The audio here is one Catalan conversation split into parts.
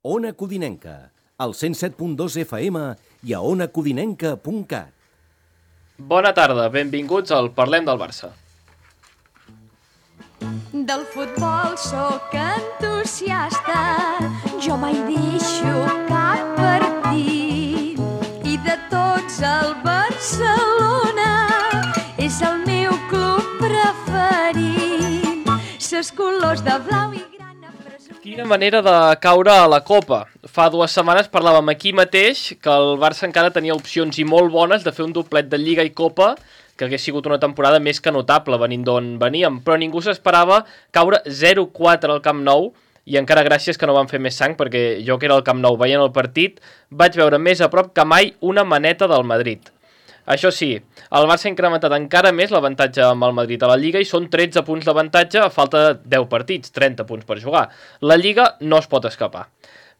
Ona Codinenca, al 107.2 FM i a onacodinenca.cat. Bona tarda, benvinguts al Parlem del Barça. Del futbol sóc entusiasta, jo mai deixo cap partit. I de tots el Barcelona és el meu club preferit. Ses colors de blau i grana presumint. Quina manera de caure a la Copa. Fa 2 setmanes parlàvem aquí mateix que el Barça encara tenia opcions i molt bones de fer un doblet de Lliga i Copa, que hagués sigut una temporada més que notable venint d'on veníem, però ningú s'esperava caure 0-4 al Camp Nou, i encara gràcies que no van fer més sang, perquè jo que era al Camp Nou veient el partit, vaig veure més a prop que mai una maneta del Madrid. Això sí, el Barça ha incrementat encara més l'avantatge amb el Madrid a la Lliga i són 13 punts d'avantatge a falta de 10 partits, 30 punts per jugar. La Lliga no es pot escapar.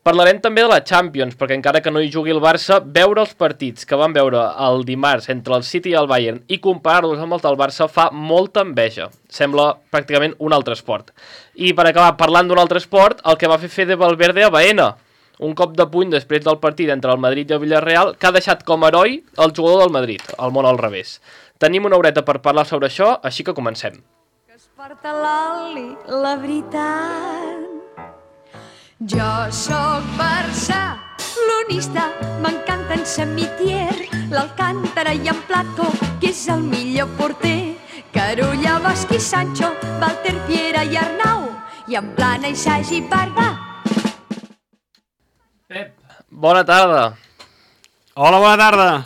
Parlarem també de la Champions, perquè encara que no hi jugui el Barça, veure els partits que van veure el dimarts entre el City i el Bayern i comparar-los amb els del Barça fa molta enveja. Sembla pràcticament un altre esport. I per acabar parlant d'un altre esport, el que va fer Fede Valverde a Baena. Un cop de puny després del partit entre el Madrid i el Villarreal que ha deixat com a heroi el jugador del Madrid, el món al revés. Tenim una horeta per parlar sobre això, així que comencem. Que es porta l'oli, la veritat. Jo sóc barcelonista, m'encanten Samitier, l'Alcántara i en Plató, que és el millor porter. Carulla, Bosch i Sancho, Walter, Piera i Arnau, i en Plana i Sagi i Barba. Pep, bona tarda. Hola, bona tarda.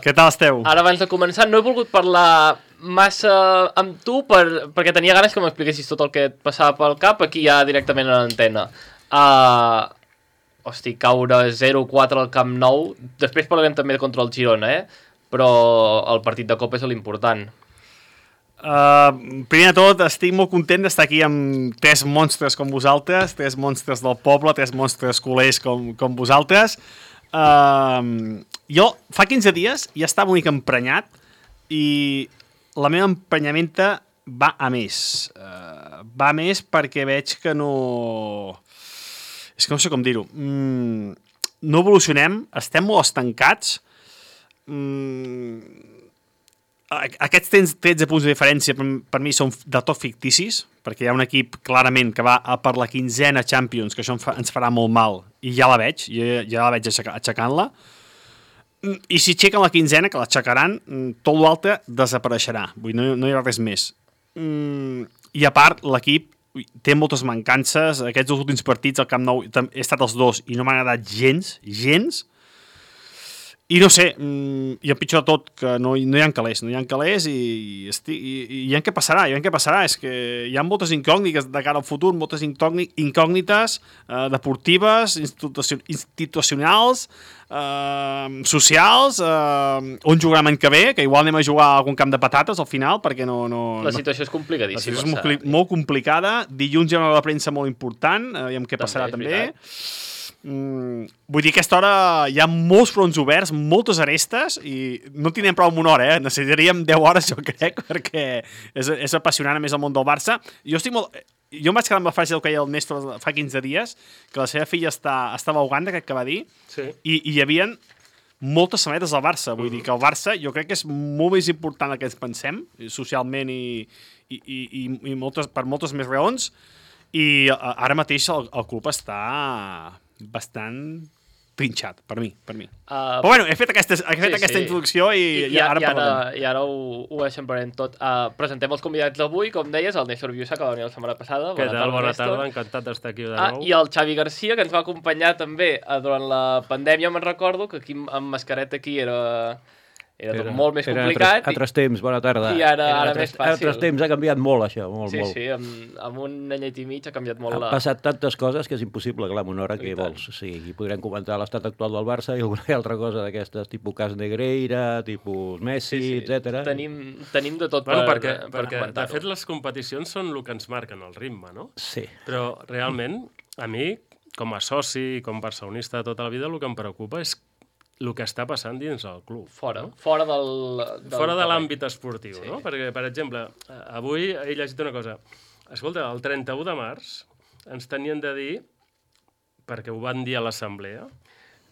Què tal esteu? Ara, abans de començar, no he volgut parlar massa amb tu perquè tenia ganes que m'expliquessis tot el que et passava pel cap aquí ja directament a l'antena. Caure 0-4 al Camp Nou. Després parlarem també contra el Girona, però el partit de Copa és l'important. Primer de tot, estic molt content d'estar aquí amb 3 monstres com vosaltres, 3 monstres del poble, 3 monstres culers com vosaltres. Jo fa 15 dies ja estava una mica emprenyat i la meva emprenyamenta va a més. Va a més perquè veig que no... És que no sé com dir-ho. No evolucionem, estem molt estancats. Aquests 13 punts de diferència per mi són de tot ficticis, perquè hi ha un equip clarament que va per la 15a Champions, que això ens farà molt mal, i ja la veig, ja la veig aixecant-la. I si aixequen la 15a, que l'aixecaran, tot l'altre desapareixerà. Vull dir, no hi haurà res més. I a part, l'equip té moltes mancances. Aquests 2 últims partits al Camp Nou he estat els 2 i no m'ha agradat gens. I no sé, i el pitjor de tot, que no hi ha calés i hi ha què passarà, és que hi ha moltes incògnites de cara al futur, moltes incògnites deportives, institucionals, socials, on jugarem l'any que ve, que igual anem a jugar a algun camp de patates al final, perquè no... La situació és complicadíssima. La situació és molt complicada, dilluns hi ha una premsa molt important, aviam què passarà també. Vull dir que a aquesta hora hi ha molts fronts oberts, moltes arestes i no tindrem prou amb una hora, necessitaríem 10 hores jo crec, perquè és apassionant a més el món del Barça. Jo em vaig quedar amb la frase del que deia el Néstor fa 15 dies, que la seva filla estava a Uganda, crec que va dir, sí. I hi havia moltes samarretes del Barça, vull dir que el Barça jo crec que és molt més important del que ens pensem, socialment i per moltes més raons, i ara mateix el club està bastant trinxat, per mi. Però bueno, he fet aquesta introducció i ara parlem. I ara ho eixamparem tot. Presentem els convidats d'avui, com deies, el Néstor Viusa, que va venir la setmana passada. Què tal? Bona tarda, encantat d'estar aquí de nou. I el Xavi Garcia, que ens va acompanyar també durant la pandèmia, me'n recordo, que aquí amb mascareta aquí era tot molt més complicat. Era altres temps, bona tarda. I ara més fàcil. Altres temps ha canviat molt, això, molt. Sí, amb un anyet i mig ha canviat molt. Han passat tantes coses que és impossible, clar, en una hora que vols. Sí, i podrem comentar l'estat actual del Barça i alguna altra cosa d'aquestes, tipus cas Negreira, tipus Messi, etc. Tenim de tot perquè de fet, les competicions són el que ens marquen el ritme, no? Sí. Però realment, a mi, com a soci, com barcelonista de tota la vida, el que em preocupa és el que està passant dins el club. Fora de l'àmbit esportiu, sí. No? Perquè, per exemple, avui he llegit una cosa. Escolta, el 31 de març ens tenien de dir perquè ho van dir a l'assemblea,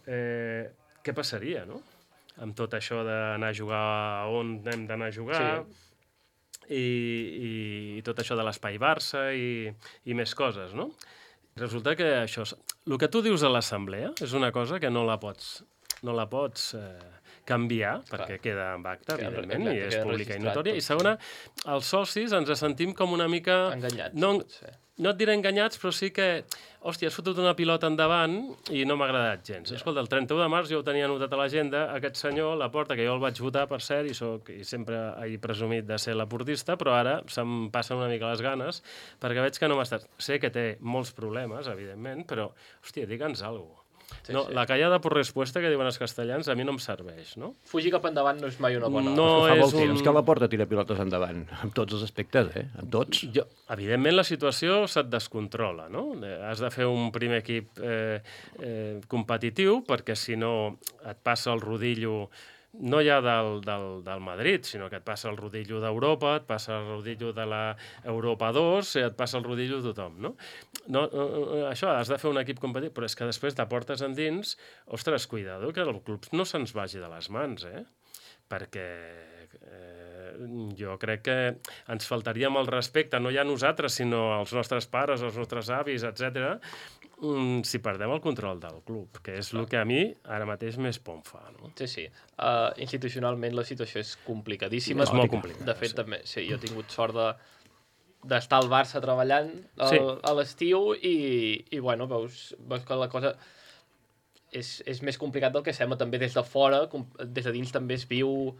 què passaria, no? Amb tot això d'anar a jugar on hem d'anar a jugar, i tot això de l'espai Barça i més coses, no? Resulta que això, el que tu dius a l'assemblea és una cosa que no la pots canviar, perquè queda en acta, evidentment, i és pública i notòria. I segona, els socis ens sentim com una mica... Enganyats, potser. No et diré enganyats, però sí que, hòstia, has fotut una pilota endavant i no m'ha agradat gens. Escolta, el 31 de març jo ho tenia anotat a l'agenda, aquest senyor, Laporta, que jo el vaig votar, per cert, i sempre he presumit de ser laportista, però ara se'm passen una mica les ganes, perquè veig que no m'estàs... Sé que té molts problemes, evidentment, però, hòstia, digue'ns alguna cosa. La callada por respuesta, que diuen els castellans, a mi no em serveix, no? Fugir cap endavant no és mai una bona... No Fa és molt temps que la Porta tira pilotes endavant, en tots els aspectes, en tots. Evidentment, la situació se't descontrola, no? Has de fer un primer equip competitiu, perquè si no et passa el rodillo no ja del Madrid, sinó que et passa el rodillo d'Europa, et passa el rodillo de l'Europa 2, et passa el rodillo de tothom, no? Això, has de fer un equip competitiu, però és que després de portes endins, ostres, cuidado, que el club no se'ns vagi de les mans, perquè jo crec que ens faltaria amb el respecte, no ja a nosaltres, sinó als nostres pares, als nostres avis, etc. Si perdem el control del club, que és el que a mi ara mateix més por em fa, no? Sí. Institucionalment la situació és complicadíssima. És molt complicada. De fet, també, sí, jo he tingut sort d'estar al Barça treballant a l'estiu i bueno, veus que la cosa és més complicat del que sembla també des de fora, des de dins també es viu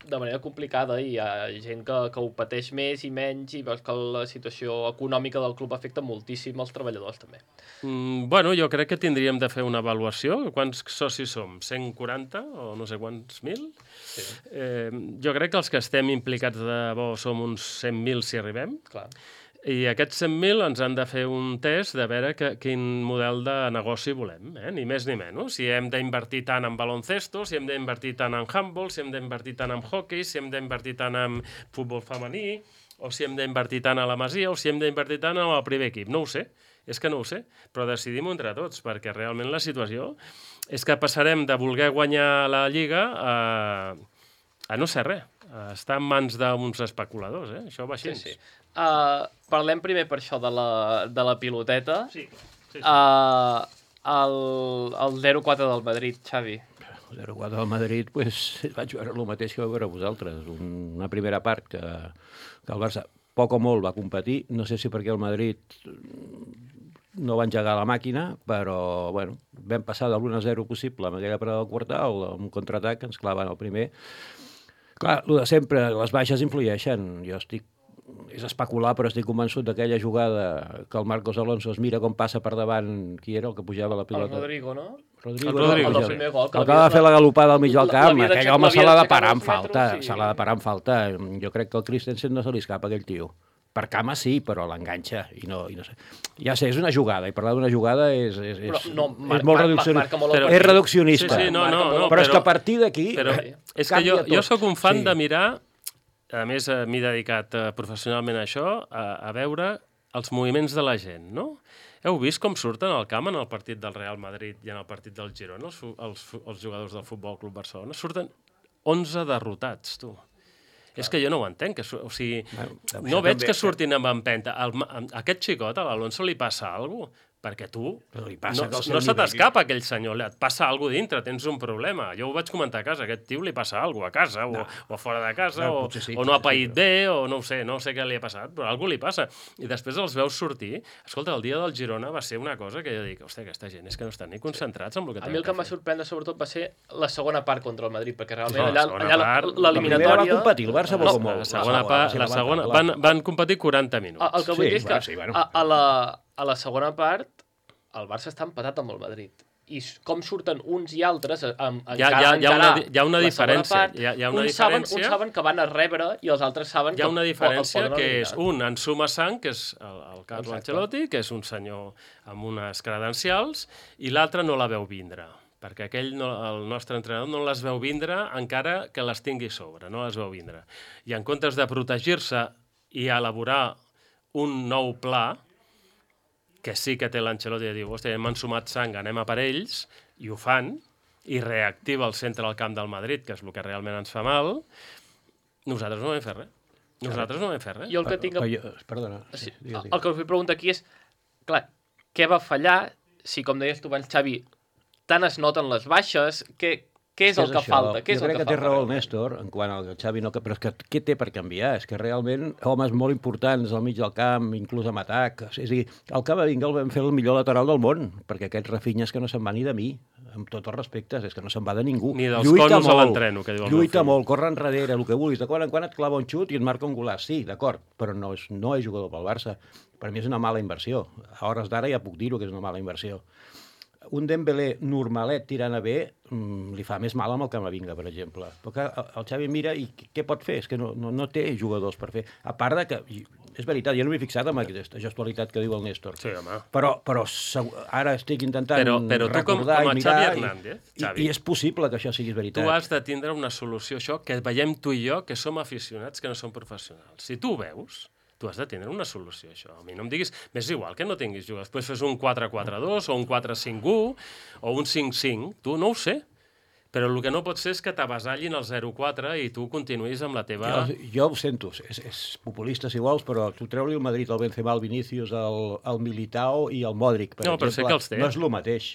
de manera complicada i hi ha gent que ho pateix més i menys i veus que la situació econòmica del club afecta moltíssim als treballadors també. Bueno, jo crec que tindríem de fer una avaluació. Quants socis som? 140 o no sé quants mil? Sí. Jo crec que els que estem implicats de bo som uns 100.000 si arribem. Clar. I aquests 100.000 ens han de fer un test de veure quin model de negoci volem, ni més ni menys. Si hem d'invertir tant en baloncesto, si hem d'invertir tant en handball, si hem d'invertir tant en hockey, si hem d'invertir tant en futbol femení, o si hem d'invertir tant a la Masia, o si hem d'invertir tant en el primer equip. No ho sé, és que no ho sé, però decidim-ho entre tots, perquè realment la situació és que passarem de voler guanyar la Lliga a no ser res, a estar en mans d'uns especuladors, això va així. Sí. Parlem primer per això de la piloteta. Sí. El 0-4 del Madrid, Xavi. El 0-4 del Madrid, vaig veure el mateix que vau veure vosaltres. Una primera part que el Barça poc o molt va competir. No sé si perquè el Madrid no va engegar la màquina, però bueno, vam passar de l'1-0 possible amb aquella parada del quartal, amb un contraatac que ens claven el primer. Clar, el de sempre, les baixes influeixen. És especular, però estic convençut d'aquella jugada que el Marcos Alonso es mira com passa per davant, qui era el que pujava la pilota? El Rodrigo, no? Rodrigo. El del primer gol. El que va fer la galopada al mig del camp, aquell home se l'ha de parar en falta. Se l'ha de parar en falta. Jo crec que el Christensen no se li escapa aquell tio. Per cama sí, però l'enganxa. I no sé. Ja sé, és una jugada, i parlar d'una jugada és molt reduccionista. És reduccionista. Sí, no, però és que a partir d'aquí... És que jo sóc un fan de mirar... A més, m'he dedicat professionalment a això, a veure els moviments de la gent, no? Heu vist com surten al camp en el partit del Real Madrid i en el partit del Girona, els jugadors del Futbol Club Barcelona? Surten 11 derrotats, tu. És que jo no ho entenc. O sigui, no veig que surtin amb empenta. A aquest xicot, a l'Alonso, li passa alguna cosa. Perquè tu, no se t'escapa aquell senyor, et passa alguna cosa dintre, tens un problema. Jo ho vaig comentar a casa, aquest tio li passa alguna cosa a casa, o a fora de casa, o no ha paït bé, o no sé què li ha passat, però alguna cosa li passa. I després els veus sortir. Escolta, el dia del Girona va ser una cosa que jo dic, hòstia, aquesta gent és que no estan ni concentrats en el que tenen. A mi el que em va sorprendre sobretot va ser la segona part contra el Madrid, perquè realment allà l'eliminatòria... La primera va competir, el Barça va molt. La segona van competir 40 minuts. El que vull dir és que a la segona part, el Barça està empatat amb el Madrid. I com surten uns i altres a encarar hi ha una diferència. Uns saben que van a rebre i els altres saben que hi ha una diferència que és un en suma sang, que és el Carlo Ancelotti, que és un senyor amb unes credencials, i l'altre no la veu vindre. Perquè el nostre entrenador no les veu vindre encara que les tingui sobre, no les veu vindre. I en comptes de protegir-se i elaborar un nou pla, que sí que té l'Ancelotti de dir, hòstia, hem ensumat sang, anem a per ells, i ho fan, i reactiva el centre del camp del Madrid, que és el que realment ens fa mal, nosaltres no vam fer res. Nosaltres no vam fer res. Jo el que tinc... Perdona. Sí, el que us vull preguntar aquí és, clar, què va fallar si, com deies tu abans, Xavi, tant es noten les baixes, què és el que falta? Jo crec que té raó el Néstor, en quant al Xavi no... Però és que què té per canviar? És que realment homes molt importants al mig del camp, inclús amb atac... És a dir, al Camavinga el vam fer el millor lateral del món, perquè aquest Rafinha és que no se'n va ni de mi, amb tots els respectes, és que no se'n va de ningú. Ni dels collos a l'entreno, que diu el lluita molt, corre enrere, el que vulguis. De quan en quan et clava un xut i et marca un golaç. Sí, d'acord, però no és jugador pel Barça. Per mi és una mala inversió. A hores d'ara ja puc dir-ho que és una mala inversió. Un Dembélé normalet tirant a bé li fa més mal amb el Camavinga, per exemple. Perquè el Xavi mira i què pot fer? És que no té jugadors per fer. A part de que, és veritat, jo no m'he fixat en aquesta gestualitat que diu el Néstor. Sí, home. Però ara estic intentant recordar i mirar Xavi Hernández, i és possible que això sigui veritat. Tu has de tindre una solució, això, que veiem tu i jo, que som aficionats, que no som professionals. Si tu ho veus, tu has de tindre una solució, això. A mi no em diguis... M'és igual que no tinguis jugadors. Després fes un 4-4-2 o un 4-5-1 o un 5-5. Tu no ho sé. Però el que no pot ser és que t'avasallin el 0-4 i tu continuïs amb la teva... Jo ho sento, és populista si vols, però tu treu-li el Madrid, el Benzema, el Vinícius, el Militao i el Modric, per exemple. Però sé que els té. No és el mateix.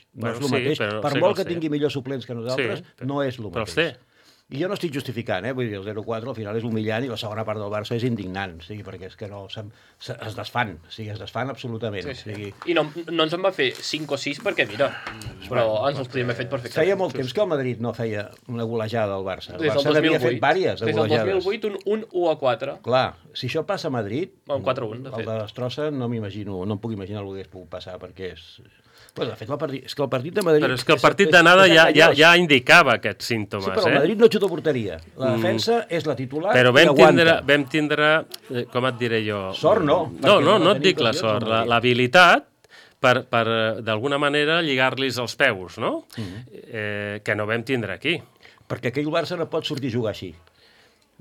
Per molt que tingui millors suplents que nosaltres, no és el mateix. Però els té. I jo no estic justificant, vull dir, el 0-4 al final és humillant i la segona part del Barça és indignant, perquè és que no, es desfan, es desfan absolutament. Sí. I no ens en va fer 5 o 6 perquè, mira, però ens els podíem haver fet perfectament. Feia molt temps que el Madrid no feia una golejada al Barça. El Barça n'havia fet diverses de golejades. Des del 2008, un 1-4. Clar, si això passa a Madrid, un 4-1, de fet. El de Destrossa no em puc imaginar el que hagués pogut passar, perquè és... Bueno, de fet, és que el partit de Madrid... Però és que el partit d'anada ja indicava aquests símptomes. Sí, però el Madrid no xuta porteria. La defensa és la titular però i aguanta. Vam tindre, com et diré jo... Sort no. No et dic la sort. L'habilitat per d'alguna manera, lligar-los els peus, no? Que no vam tindre aquí. Perquè aquell Barça no pot sortir a jugar així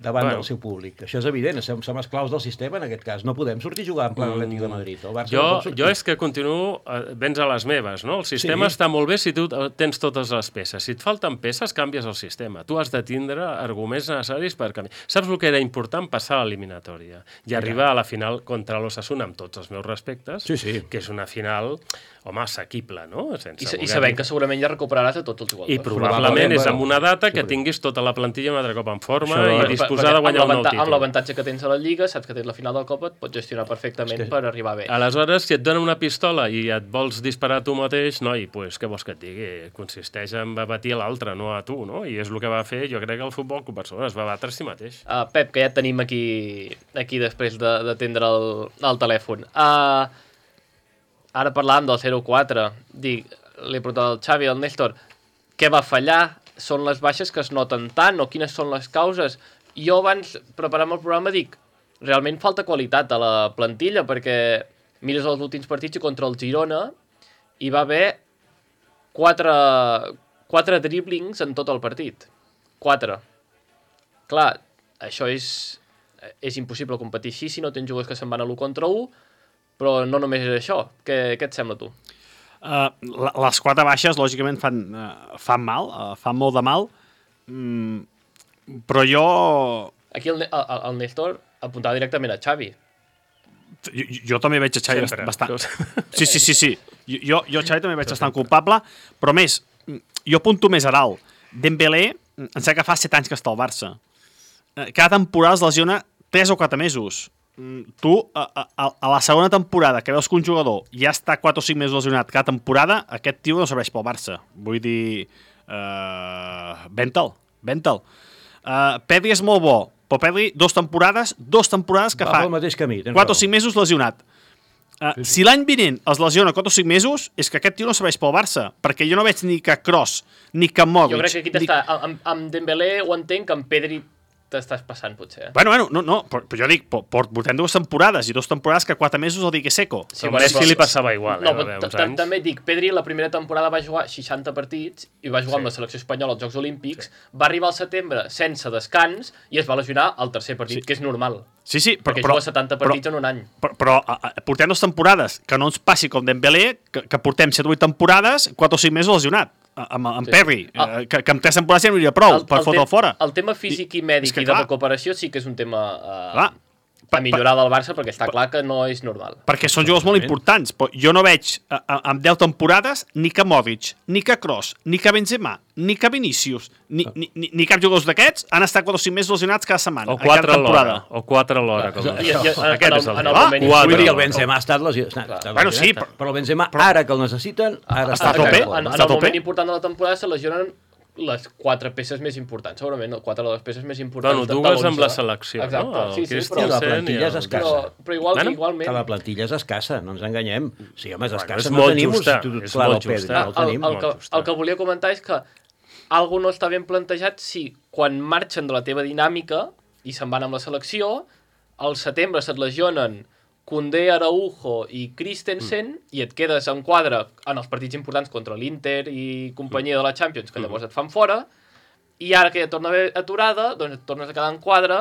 davant del seu públic. Això és evident, som esclaus del sistema en aquest cas. No podem sortir a jugar en plan Atlètic de Madrid. El Barça no pot sortir. Jo és que continuo vens a les meves, no? El sistema està molt bé si tu tens totes les peces. Si et falten peces, canvies el sistema. Tu has de tindre arguments necessaris per canviar. Saps el que era important? Passar a l'eliminatòria i arribar a la final contra l'Osasuna, amb tots els meus respectes, que és una final, home, assequible, no? I sabem que segurament ja recuperaràs a tots els jugadors. I probablement és amb una data que tinguis tota la plantilla un altre cop en forma i disposar de guanyar un nou títol. Amb l'avantatge que tens a la Lliga, saps que tens la final del Copa, et pots gestionar perfectament per arribar bé. Aleshores, si et donen una pistola i et vols disparar tu mateix, noi, doncs què vols que et digui? Consisteix en batir l'altre, no a tu, no? I és el que va fer, jo crec que el Futbol Club Barcelona es va batre a si mateix. Pep, que ja et tenim aquí després d'atendre el telèfon. Ara parlàvem del 0-4, li he preguntat al Xavi, al Néstor, què va fallar? Són les baixes que es noten tant o quines són les causes? Jo abans, preparant el programa, dic, realment falta qualitat a la plantilla, perquè mires els últims partits i contra el Girona hi va haver 4 dribblings en tot el partit. 4. Clar, això és impossible competir així si no tens jugadors que se'n van a l'1 contra 1, però no només és això. Què et sembla, tu? Les 4 baixes, lògicament, fan mal, fan molt de mal, però jo... Aquí el Néstor apuntava directament a Xavi. Jo també veig a Xavi bastant... Sí. Jo Xavi també veig bastant culpable, però més, jo apunto més a dalt. Dembélé, em sembla que fa 7 anys que està al Barça. Cada temporada es lesiona 3 o 4 mesos. Tu, a la segona temporada que veus que un jugador ja està 4 o 5 mesos lesionat cada temporada, aquest tio no serveix pel Barça. Vull dir... Bentel. Pedri és molt bo, però Pedri 2 temporades que fa 4 o 5 mesos lesionat. Si l'any vinent es lesiona 4 o 5 mesos, és que aquest tio no serveix pel Barça, perquè jo no veig ni que Kroos, ni que Modric... Jo crec que aquí amb Dembélé ho entenc, que amb Pedri t'estàs passant, potser. Bueno, no, però jo dic, portem 2 temporades i 2 temporades que 4 mesos el dic seco. Sí, a Messi li passava igual, no, també dic, Pedri la primera temporada va jugar 60 partits i va jugar amb la selecció espanyola als Jocs Olímpics, va arribar al setembre sense descans i es va lesionar al tercer partit, que és normal. Sí, perquè juga 70 partits en un any. Però portem 2 temporades, que no ens passi com Dembélé, que portem 7 o 8 temporades, 4 o 5 mesos lesionat. Amb Perry, que amb 3 temporades ja no hi hauria prou per fotre'l fora. El tema físic i mèdic i de recuperació sí que és un tema a millorar del Barça, perquè està clar que no és normal. Perquè són jugadors molt importants. Però jo no veig amb 10 temporades ni que Modric, ni que Kroos, ni que Benzema, ni que Vinícius, ni cap jugadors d'aquests han estat 4 o 5 mesos lesionats cada setmana. O 4 alhora. Aquest és el Vull dir, el Benzema ha estat lesionat. Bueno, sí, però el Benzema, ara que el necessiten, ara està a tope. En el moment important de la temporada se lesionen les 4 peces més importants, segurament, 4 de les peces més importants. Bueno, dues amb la selecció, no? Sí, però la plantilla és escassa. Però igualment... Que la plantilla és escassa, no ens enganyem. Sí, home, és escassa, no tenim un substitut clar del Pedri. El que volia comentar és que algú no està ben plantejat si quan marxen de la teva dinàmica i se'n van amb la selecció, al setembre se't lesionen Koundé, Araujo i Christensen i et quedes en quadre en els partits importants contra l'Inter i companyia de la Champions, que llavors et fan fora, i ara que ja torna a haver aturada, doncs et tornes a quedar en quadre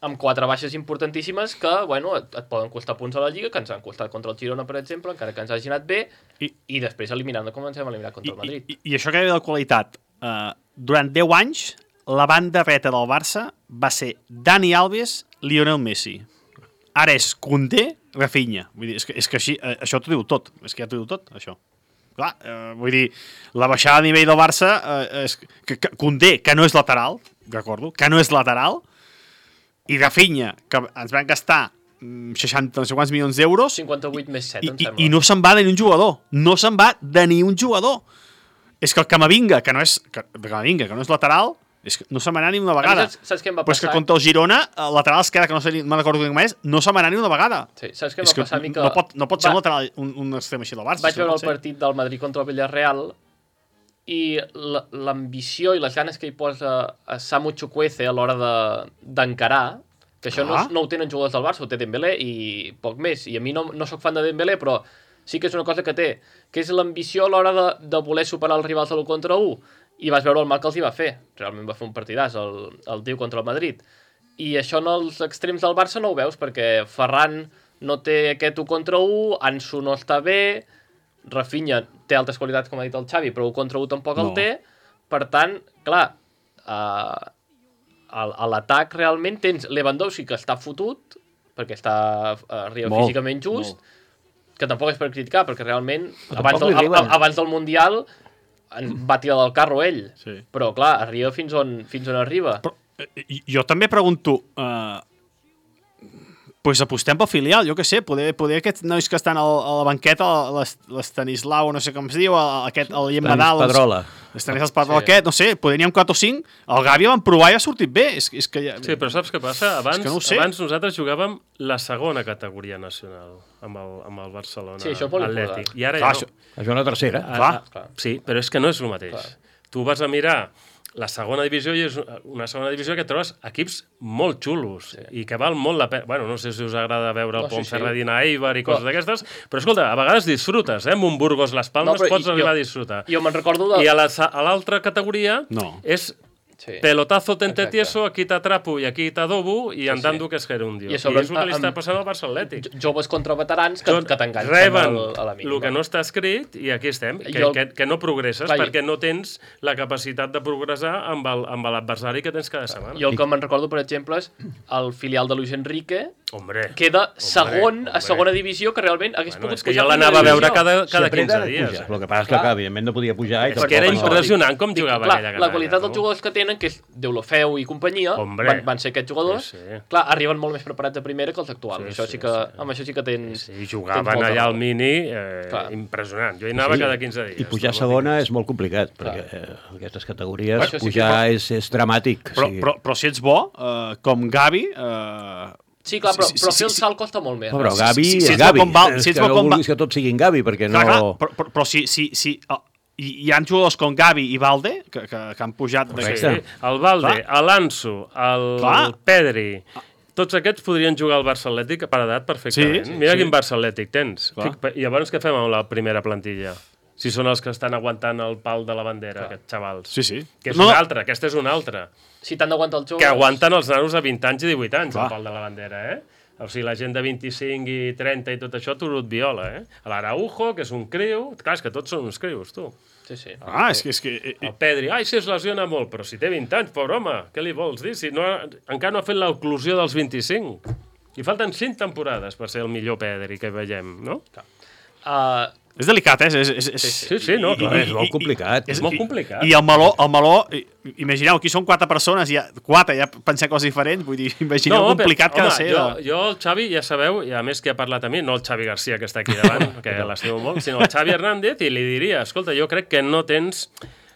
amb 4 baixes importantíssimes que, bueno, et poden costar punts a la Lliga, que ens han costat contra el Girona, per exemple, encara que ens hagi anat bé, i després eliminant com ens hem eliminat contra el Madrid. I això que hi ha de qualitat, durant 10 anys, la banda dreta del Barça va ser Dani Alves, Lionel Messi. Ara és Koundé, Rafinha. Vull dir, és que així, això t'ho diu tot. És que ja t'ho diu tot, això. Clar, vull dir, la baixada de nivell del Barça és que Koundé, que no és lateral, recordo, que no és lateral, i Rafinha, que ens van gastar 60 no sé quants milions d'euros 58 més 7, em sembla. I no se'n va de ni un jugador. No se'n va de ni un jugador. És que el Camavinga, que no és lateral, és que no se m'anà ni una vegada. Saps què em va passar? Però és que contra el Girona, el lateral esquerre, que no sé, me'n recordo com és, no se m'anà ni una vegada. Sí, saps què em va passar a mi? Que no pot ser un lateral, un extrem així del Barça. Vaig veure el partit del Madrid contra el Villarreal i l'ambició i les ganes que hi posa a Samu Chukwueze a l'hora d'encarar, que això no ho tenen jugadors del Barça, ho té Dembélé i poc més. I a mi no soc fan de Dembélé, però sí que és una cosa que té, que és l'ambició a l'hora de voler superar els rivals de l'1 contra 1. I vas veure el mal que els hi va fer. Realment va fer un partidàs el tio contra el Madrid. I això en els extrems del Barça no ho veus, perquè Ferran no té aquest 1 contra 1, Ansu no està bé, Rafinha té altres qualitats, com ha dit el Xavi, però 1 contra 1 tampoc el té. Per tant, clar, a l'atac realment tens Lewandowski, que està fotut, perquè arriba físicament just, que tampoc és per criticar, perquè realment abans del Mundial va tirar del carro ell, però clar, arriba fins on arriba. Però, jo també pregunto, pues apostem pel filial, jo què sé, poder aquests nois que estan a la banqueta, l'Estanislau, no sé com es diu, el Guillem Nadal, l'Estanislau Pedrola aquest, no sé, poder n'hi ha 4 o 5, el Gavi van provar i ha sortit bé. És que ja... Sí, però saps què passa? Abans nosaltres jugàvem la segona categoria nacional amb el Barcelona Atlètic. I ara ja no. Això és una tercera. Clar. Sí, però és que no és el mateix. Tu vas a mirar la segona divisió i és una segona divisió que trobes equips molt xulos i que val molt la pena. Bueno, no sé si us agrada veure el Ponferradina Eibar i coses d'aquestes, però escolta, a vegades disfrutes, amb un Burgos Las Palmas pots arribar a disfrutar. Jo me'n recordo I a l'altra categoria és pelotazo tente tieso, aquí t'atrapo i aquí t'adobo i andando que és gerundio. I és el que li està passant al Barça Atlètic. Joves contra veterans que t'enganxen reben el que no està escrit i aquí estem, que no progresses perquè no tens la capacitat de progressar amb l'adversari que tens cada setmana. Jo el que me'n recordo, per exemple, és el filial de Luis Enrique, queda segon a segona divisió, que realment hagués pogut pujar. És que jo l'anava a veure cada 15 dies. El que passa és que, evidentment, no podia pujar. És que era impressionant com jugava aquella canalla. La qualitat dels jugadors que tenen, que és Deulofeu i companyia, van ser aquests jugadors, clar, arriben molt més preparats de primera que els actuals. Amb això sí que tens... Sí, jugaven allà al Mini, impressionant. Jo hi anava cada 15 dies. I pujar a segona és molt complicat, perquè aquestes categories pujar és dramàtic. Però si ets bo, com Gavi... Sí, clar, però fer el salt costa molt més. Però Gavi és Gavi. És que no vulguis que tots siguin Gavi, perquè no... Però si hi ha jugadors com Gavi i Valde que han pujat... Sí. El Valde, l'Anso, el Pedri... Tots aquests podrien jugar al Barça Atlètic per edat perfectament. Mira quin Barça Atlètic tens. I llavors què fem amb la primera plantilla? Si són els que estan aguantant el pal de la bandera, aquests xavals. Sí. Que és una altra, aquesta és una altra. Si t'han d'aguantar els joves... Que aguanten els nanos de 20 anys i 18 anys, el pal de la bandera, O sigui, la gent de 25 i 30 i tot això, turut viola, L'Araujo, que és un criu... Clar, és que tots són uns crius, tu. Sí. És que... El Pedri, si es lesiona molt, però si té 20 anys, pobre home, què li vols dir? Si encara no ha fet l'oclusió dels 25. I falten 5 temporades per ser el millor Pedri que veiem, no? És delicat, Sí, no, clar. És molt complicat. És molt complicat. I el meló, imagineu, aquí són 4 persones, ja pensem coses diferents, vull dir, imagineu complicat que ha de ser. Jo, el Xavi, ja sabeu, i a més que ha parlat a mi, no el Xavi Garcia, que està aquí davant, que l'estimo molt, sinó el Xavi Hernández, i li diria, escolta, jo crec que no tens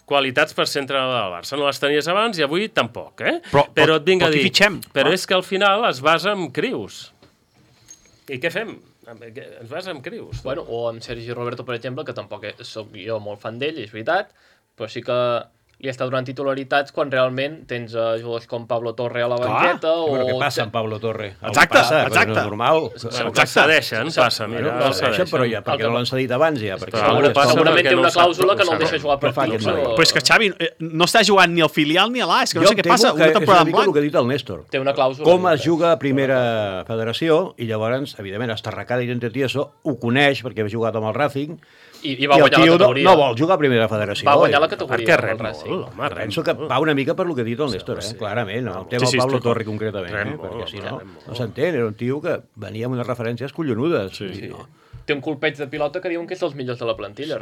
qualitats per ser entrenador del Barça. No les tenies abans i avui tampoc, Però et vinc a dir... Però és que al final es basa en crius. I què fem? Ens basa en crius. Bueno, o amb Sergi Roberto, per exemple, que tampoc soc jo molt fan d'ell, és veritat, però sí que li està donant titularitats quan realment tens jugadors com Pablo Torre a la banqueta. Però què passa amb Pablo Torre? Exacte. No és normal. Cedeixen, passa, mira. El cedeixen, però ja, perquè no l'han cedit abans, ja. Segurament té una clàusula que no el deixa jugar per clubs. Però és que Xavi no està jugant ni al filial ni a l'A, és que no sé què passa. Una temporada en blanc. És una mica el que ha dit el Néstor. Té una clàusula. Com es juga a primera federació, i llavors, evidentment, Estarracada i Tieso ho coneix, perquè ha jugat amb el Racing, i va guanyar la categoria. No vol jugar a primera federació. Va guanyar la categoria. Per què Racing? Penso que va una mica per lo que ha dit el Néstor, clarament. El tema del Pablo Torre, concretament, perquè si no s'entén. Era un tio que venia amb unes referències collonudes. Té un colpeig de pilota que diuen que és dels millors de la plantilla.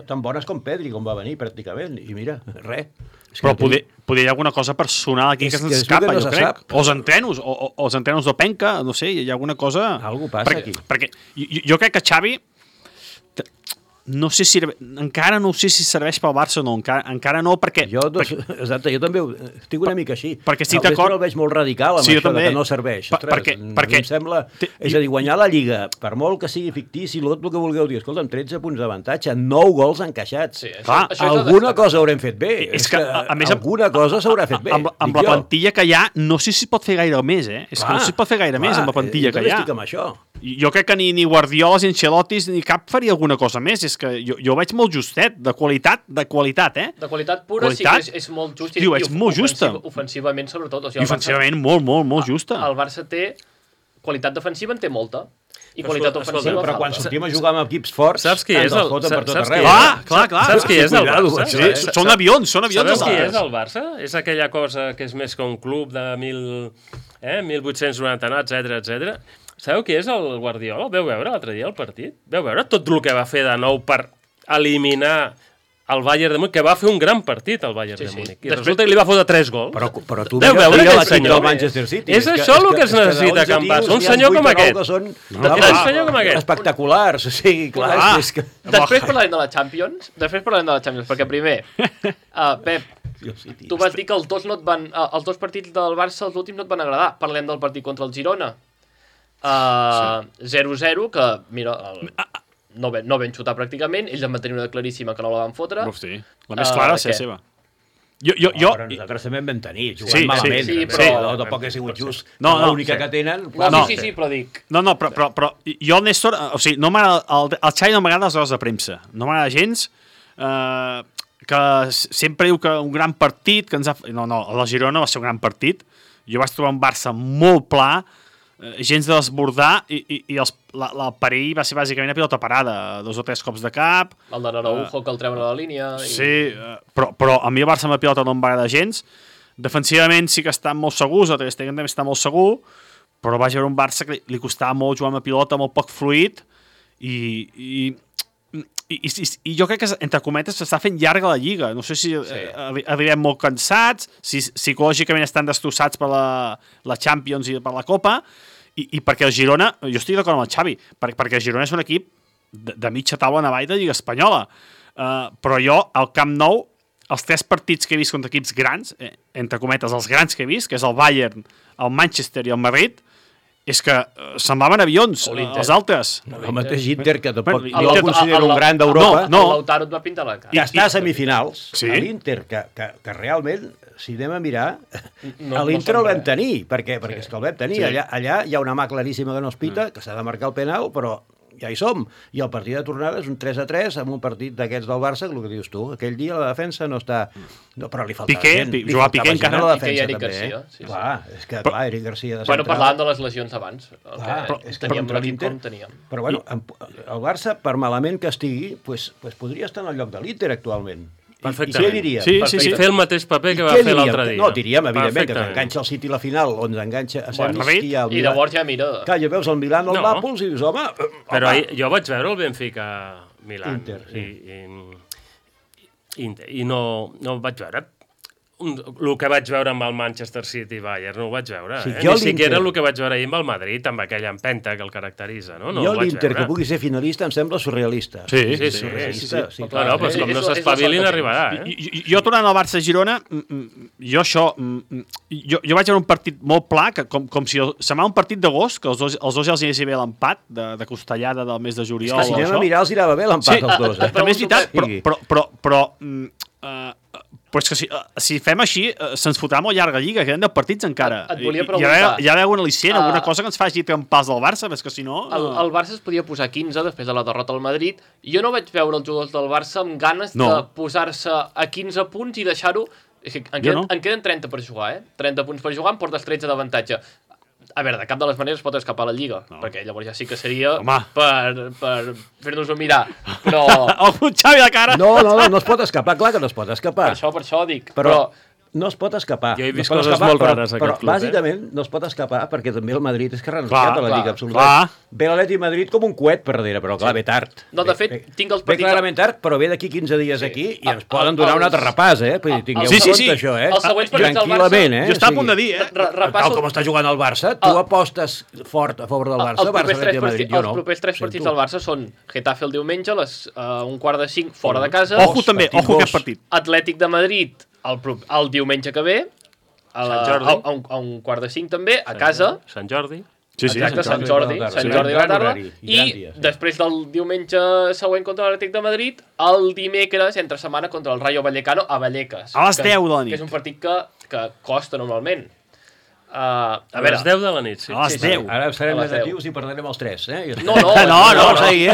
Tan bones com Pedri, com va venir, pràcticament. I mira, res. Però poder hi ha alguna cosa personal aquí que se'ns escapa, jo crec. O els entrenos d'Openca, no sé, hi ha alguna cosa... Algú passa aquí. Perquè jo crec que Xavi... No sé si... Encara no sé si serveix pel Barça o no. Encara no, perquè... Exacte, jo també estic una mica així. Perquè estic d'acord... El veig molt radical amb això que no serveix. Perquè em sembla... És a dir, guanyar la Lliga, per molt que sigui fictici, tot el que vulgueu dir, escolta, amb 13 punts d'avantatge, 9 gols encaixats. Alguna cosa haurem fet bé. És que, a més, alguna cosa s'haurà fet bé. Amb la plantilla que hi ha, no sé si pot fer gaire més, És que no sé si pot fer gaire més amb la plantilla que hi ha. Jo estic amb això. Jo crec que ni Guardiola, ni Ancelotti, ni cap faria alguna cosa més. És que jo veig molt justet, de qualitat, De qualitat pura, sí que és molt just. Tio, és molt justa. Ofensivament, sobretot. I ofensivament molt justa. El Barça té... Qualitat defensiva en té molta. I qualitat ofensiva... Però quan sortim a jugar amb equips forts, saps qui és el... Clar. Saps qui és el Barça? Sí, són avions. Saps qui és el Barça? És aquella cosa que és més que un club de 1890, etc. Sabeu qui és el Guardiola? El veu veure l'altre dia el partit? Veu veure tot el que va fer de nou per eliminar el Bayern de Múnich, que va fer un gran partit el Bayern de Múnich. I resulta que li va fotre 3 gols. Però tu veu veure aquest senyor del Manchester City. És això el que es necessita, Can Barça. Un senyor com aquest. Un senyor com aquest. Espectaculars. Sí, clar. Després parlarem de la Champions. Perquè primer, Pep, tu vas dir que els dos partits del Barça, els últims, no et van agradar. Parlem del partit contra el Girona. 0-0, que, mira... No ben xutar pràcticament, ells van tenir una claríssima que no la van fotre. Hosti, la més clara va ser seva. Però nosaltres també en vam tenir, jugant malament. Però tampoc ha sigut just. L'única que tenen... Sí, però dic... No, però jo, el Néstor, o sigui, no m'agrada... El Xavi no m'agrada les rodes de premsa. No m'agrada gens que sempre diu que un gran partit... No, el Girona va ser un gran partit. Jo vaig trobar un Barça molt pla, gens de desbordar, i el perill va ser bàsicament a pilota parada, 2 o 3 cops de cap. El de Araujo que el treuen a la línia. Sí, però a mi el Barça amb la pilota no em va agradar gens. Defensivament sí que estan molt segurs, el Ter Stegen també està molt segur, però vaig veure un Barça que li costava molt jugar amb la pilota, molt poc fluid, i jo crec que, entre cometes, s'està fent llarga la Lliga. No sé si arribem molt cansats, si psicològicament estan destrossats per la Champions i per la Copa, i perquè el Girona, jo estic d'acord amb el Xavi, perquè el Girona és un equip de mitja taula en avall de Lliga Espanyola. Però jo, al Camp Nou, els 3 partits que he vist contra equips grans, entre cometes, els grans que he vist, que és el Bayern, el Manchester i el Madrid, és que semblaven avions, els altres. El mateix Inter, que tampoc Bueno, jo el considero un gran d'Europa, No. El Lautaro et va pintar la cara. que està a semifinals. Sí. L'Inter, que realment, si anem a mirar, No l'Inter no el vam sembla. tenir, perquè és que el vam tenir. Allà hi ha una mà claríssima que no es pita, que s'ha de marcar el penal, però ja hi som. I el partit de tornada és un 3-3 amb un partit d'aquests del Barça, el que dius tu. Aquell dia la defensa no està... No, però li faltava Piqué, gent. jugava Piqué encara. a la Piqué i defensa, Eric també. Garcia, sí. Clar, és que, clar, Eric Garcia de Bueno, central. parlàvem de les lesions abans. És que Teníem contra l'equip l'Inter... com teníem. Però bueno, el Barça, per malament que estigui, pues podria estar en el lloc de l'Inter actualment. Perfectament. I què diríem? Sí. Fer el mateix paper que va Què fer diríem? l'altre dia. No, diríem, evidentment, que Perfectament. enganxa el City a la final, on enganxa a Bueno, semis, i el I Milan. llavors ja mira... Clar, ja veus el Milan o el No. Nàpols i dius, home... Però jo vaig veure el Benfica Milan Inter, sí. i no vaig veure el que vaig veure amb el Manchester City Bayern, no ho vaig veure. Sí, Ni jo siquiera l'Inter- el que vaig veure ahir amb el Madrid, amb aquella empenta que el caracteritza. No Jo ho vaig l'Inter, que veure. pugui ser finalista, em sembla surrealista. Sí. Surrealista, sí, clar. Bueno, doncs com no És s'espavilin la sort que arribarà, Jo tornant al Barça-Girona, jo vaig veure un partit molt pla, que com si semblava un partit d'agost, que els dos ja els hi bé l'empat, de Costellada del mes de juliol. És que si anem a mirar, els irà bé l'empat als dos. També és veritat, Sí. però és que si fem així, se'ns fotrà molt llarga lliga, queden 10 partits encara. Et volia Hi preguntar. ha d'haver algun al·licient, alguna cosa que ens faci trempars del Barça, és que si no... El Barça es podia posar 15 després de la derrota al Madrid. Jo no vaig veure els jugadors del Barça amb ganes de posar-se a 15 punts i deixar-ho... En queden 30 per jugar, 30 punts per jugar, em portes 13 d'avantatge. A veure, de cap de les maneres pot escapar la Lliga, perquè llavors ja sí que seria per fer-nos-ho mirar. Però El Xavi a la cara! No es pot escapar, clar que no es pot escapar. per això dic. Però no es pot escapar. Jo he vist no es pot coses escapar, molt rares a però aquest club, bàsicament no es pot escapar perquè també el Madrid és que ha renunciat Clar, a la Lliga clar, absoluta. Ve l'Atlètic Madrid com un coet per darrere, però clar, ve tard. No, de fet, tinc els Ve partits... clarament tard, però ve d'aquí 15 dies aquí i ens poden donar un altre repàs, Vull dir, tingueu Sí, en sí, compte sí. això, Els següents partits del Tranquil·lament, Barça- Jo estava a punt de dir, Tal Repasso com està jugant el Barça, tu apostes fort a favor del Barça, Barça, Atlètic Madrid, jo no. Els propers 3 partits del Barça són Getafe el diumenge a les 1:45 fora de casa, Ojo també, partit ojo aquest dos. partit. Atlètic de Madrid el diumenge que ve, a Sant Jordi. 1:45 també, a casa, Sant Jordi. exacte, Sant Jordi a la tarda, i després del diumenge següent contra l'Atlètic de Madrid, el dimecres, entre setmana, contra el Rayo Vallecano a Vallecas. A les 10 de la nit. Que és un partit que costa normalment. A les 10 de la nit, sí. A les 10. Ara serem A les negatius i perdrem els 3, No, No, seguir,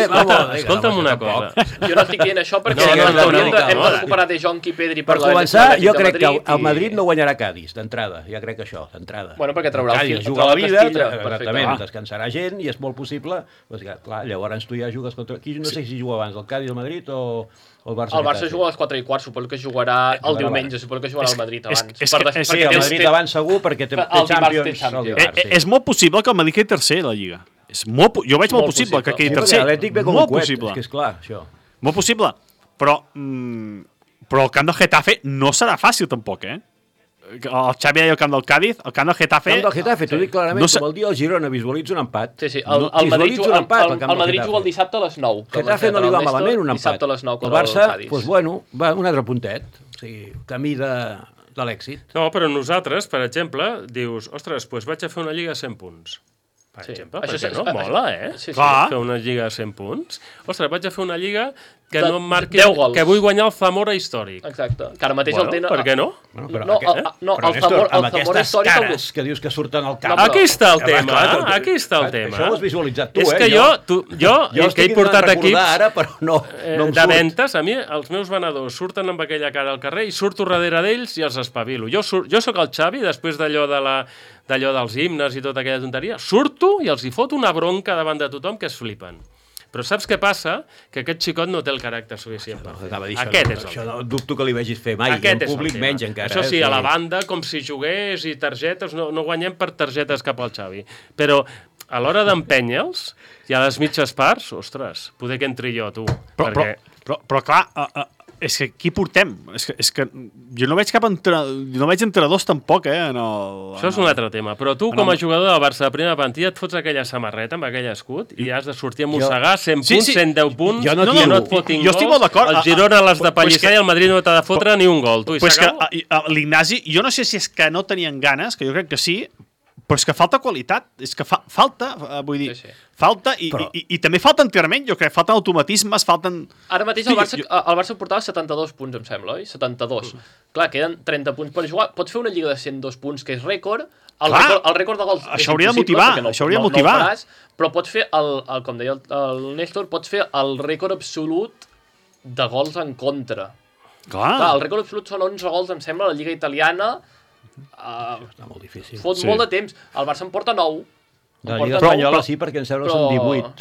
Escolta'm una cosa. Jo no estic dient això perquè No, hem de no. recuperar De Jong i Pedri Per per començar, l'Atlètic jo de crec que Madrid el i- Madrid no guanyarà Cádiz, d'entrada. Ja crec que això, d'entrada. Bueno, perquè traurà el Cádiz fil- juga la traurà vida, Castilla, exactament, perfecte. descansarà gent i és molt possible. Pues, clar, llavors tu ja jugues contra... Qui no sé si juga abans, el Cádiz, el Madrid o el Barça? El Barça juga a les 4:15, suposo que jugarà el diumenge, suposo que jugarà el Madrid abans. és Per que- des- Sí, perquè el tens- Madrid abans segur perquè té El dimarts té Champions el Champions. dimarts. sí. És molt possible que el Madrid quedi tercer a la Lliga. Jo veig molt possible que quedi Sí, perquè tercer. l'Atlètic ve com un Molt coet, possible. és que és clar, això. Molt possible. Però el camp del Getafe no serà fàcil tampoc, El Xavi deia el camp del Cádiz, el camp del Getafe... Camp del Getafe, t'ho dic clarament, No sé- com el dia del Girona, visualitza un empat. Sí, el Madrid Visualitza un empat, al camp el del Madrid Getafe. juga el dissabte a les 9. Getafe no li va malament un empat. Dissabte a les 9 el contra Barça, Cádiz. doncs bueno, va un altre puntet. O sigui, camí de l'èxit. No, però nosaltres, per exemple, dius, ostres, doncs vaig a fer una lliga a 100 punts. Per exemple, perquè no? Mola, Sí, sí. Clar. Fer una lliga a 100 punts. Ostres, vaig a fer una lliga que De no em marqui... 10 gols. Que vull guanyar el Zamora històric. Exacte. Que ara mateix Bueno, el tenen... per què no? Bueno, però No, aquest- però el Néstor, Zamora amb històric... aquestes cares que dius que surten al camp... No, Aquí està el Home, tema, clar, aquí està el tema. Això ho has visualitzat tu, És que jo que he estic portat intentant recordar equips ara, però no em de surt. ventes, a mi els meus venedors surten amb aquella cara al carrer i surto darrere d'ells i els espavilo. Jo sóc el Xavi, després d'allò dels himnes i tota aquella tonteria, surto i els hi foto una bronca davant de tothom que es flipen. Però saps què passa? Que aquest xicot no té el caràcter suficient per fer. Anava a dir Aquest és el això no dubto que li vegis fer mai, i Aquest en és el públic tema. menys encara. Això sí, a la banda, com si jugués i targetes, no guanyem per targetes cap al Xavi. Però a l'hora d'empènyer-los, i a les mitges parts, ostres, poder que entri jo, tu. Però clar, és que aquí portem. És que jo no veig no veig entrenadors tampoc, Això és un altre tema, però tu com a jugador del Barça de primera plantilla et fots aquella samarreta amb aquell escut i has de sortir a mossegar 100 punts, 110 punts, Jo no que tiro. no et fotin Jo estic molt gols, d'acord. el Girona l'has de Pues pallissar que- i el Madrid no t'ha de fotre ni un gol. Tu, i Pues que s'acaba? l'Ignasi, jo no sé si és que no tenien ganes, que jo crec que sí, però és que falta qualitat, és que falta, vull dir, Sí. falta, i també falta enterrament, jo crec, falten automatismes, falten... Ara mateix el Barça portava 72 punts, em sembla, oi? 72. Clar, queden 30 punts per jugar. Pots fer una lliga de 102 punts, que és rècord. El rècord de gols això hauria de motivar, això hauria de motivar. No ho faràs, però pots fer, com deia el Néstor, pots fer el rècord absolut de gols en contra. Clar, el rècord absolut són 11 gols, em sembla, a la Lliga Italiana. Està molt difícil. Fot molt de temps. El Barça en porta 9. De la Lliga Espanyola sí, perquè em sembla que són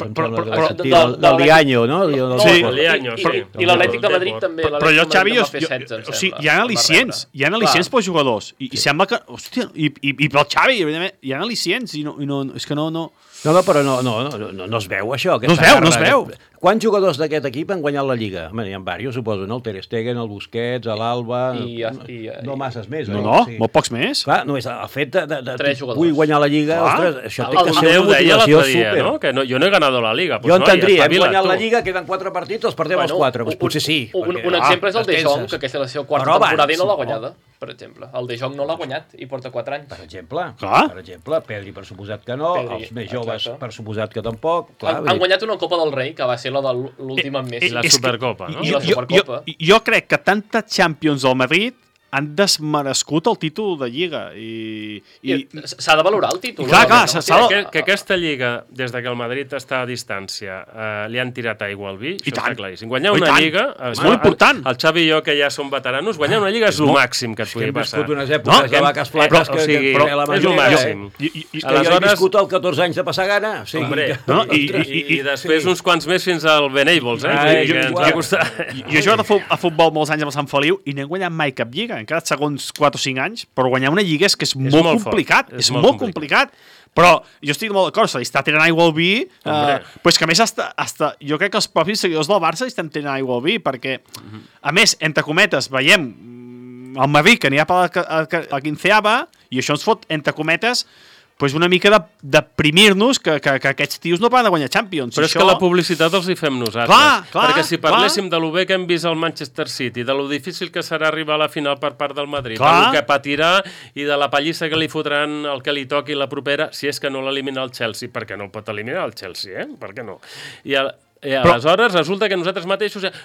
18. Del Lianyo, no? Sí. I l'Atlètic de Madrid també. Però jo, Xavi, o sigui, hi ha al·licients pels jugadors. I sembla que... Hòstia, i pel Xavi, hi ha al·licients, i no, és que no... No, però no es veu això. No es veu. Quants jugadors d'aquest equip han guanyat la Lliga? Home, n'hi ha diversos, suposo, no? El Ter Stegen, el Busquets, l'Alba... No masses més, oi? No, molt pocs més. Clar, només el fet de vull guanyar la Lliga, ostres, això té que ser una motivació súper. No? Que yo no he ganado la Liga. Jo entendria, hem guanyat la Lliga, queden 4 partits, els perdem els 4. Potser sí. Un exemple és el De Jong, que aquesta és la seva quarta temporada i no l'ha guanyada. Per exemple, el De Jong no l'ha guanyat i porta 4 anys. Per exemple, Pedri per suposat que no, els més joves per suposat que tampoc. Han guanyat una Copa del Rei, que va ser la de l'últim amb Messi. I la Supercopa, no? I la Supercopa. Jo crec que tanta Champions del Madrid han desmerescut el títol de Lliga. S'ha de valorar el títol. Clar, que aquesta Lliga, des que el Madrid està a distància, li han tirat aigua al vi, això està claríssim. Guanyar una Lliga... És molt important. El Xavi i jo, que ja som veteranos, guanyar una Lliga és el màxim que et pugui passar. Hem viscut unes èpoques de vaques flaques que és el màxim. Jo he viscut el 14 anys de passar gana. I després uns quants més fins al Benables, que ens va costar. Jo he jugat a futbol molts anys amb el Sant Feliu i no he guanyat mai cap Lliga. Han quedat segons 4 o 5 anys, però guanyar una lliga és que és molt complicat. És molt complicat. Però jo estic molt d'acord, se li està tirant aigua al vi, però és que a més jo crec que els propis seguidors del Barça li estan tirant aigua al vi, perquè, a més, entre cometes, veiem el Madrid que n'hi ha per la quinceava, i això ens fot, entre cometes, pues una mica de deprimir-nos que aquests tios no poden de guanyar Champions. Però és que la publicitat els hi fem nosaltres. Perquè si parléssim de lo bé que hem vist al Manchester City, de lo difícil que serà arribar a la final per part del Madrid, de lo que patirà i de la pallissa que li fotran el que li toqui la propera, si és que no l'elimina el Chelsea, perquè no el pot eliminar el Chelsea, per què no? I aleshores resulta que nosaltres mateixos ja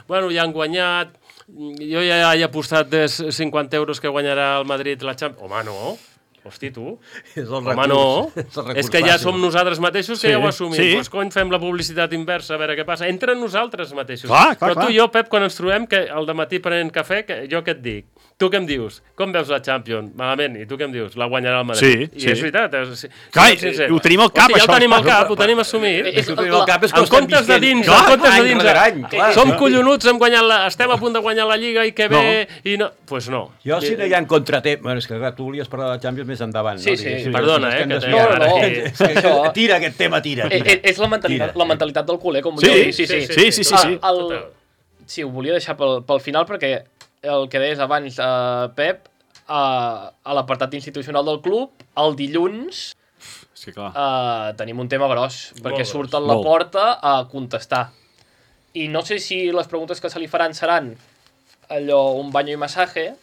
han guanyat, jo ja he apostat 50 euros que guanyarà el Madrid la Champions. Home, no. Hosti, tu. Home, no. És que ja som nosaltres mateixos que ja ho assumim. Doncs cony, fem la publicitat inversa, a veure què passa. Entre nosaltres mateixos. Però tu i jo, Pep, quan ens trobem, que al dematí prenent cafè, jo què et dic? Tu què em dius? Com veus la Champions? Malament. I tu què em dius? La guanyarà el Madrid. I és veritat. Clar, ho tenim al cap, això. Ja ho tenim al cap, ho tenim assumit. En comptes de dins, som collonuts, estem a punt de guanyar la Lliga i que bé, i no. Doncs no. Jo, si no hi ha contratemps... Bueno, és que tu volies parlar de la Champions més endavant, no? Sí. Perdona, Tira aquest tema, tira. És la mentalitat del culer, com volia dir. Sí. Sí, ho volia deixar pel final, perquè el que deies abans, Pep, a l'apartat institucional del club, el dilluns tenim un tema gros, perquè surt a la porta a contestar. I no sé si les preguntes que se li faran seran allò, un banyo i massatge,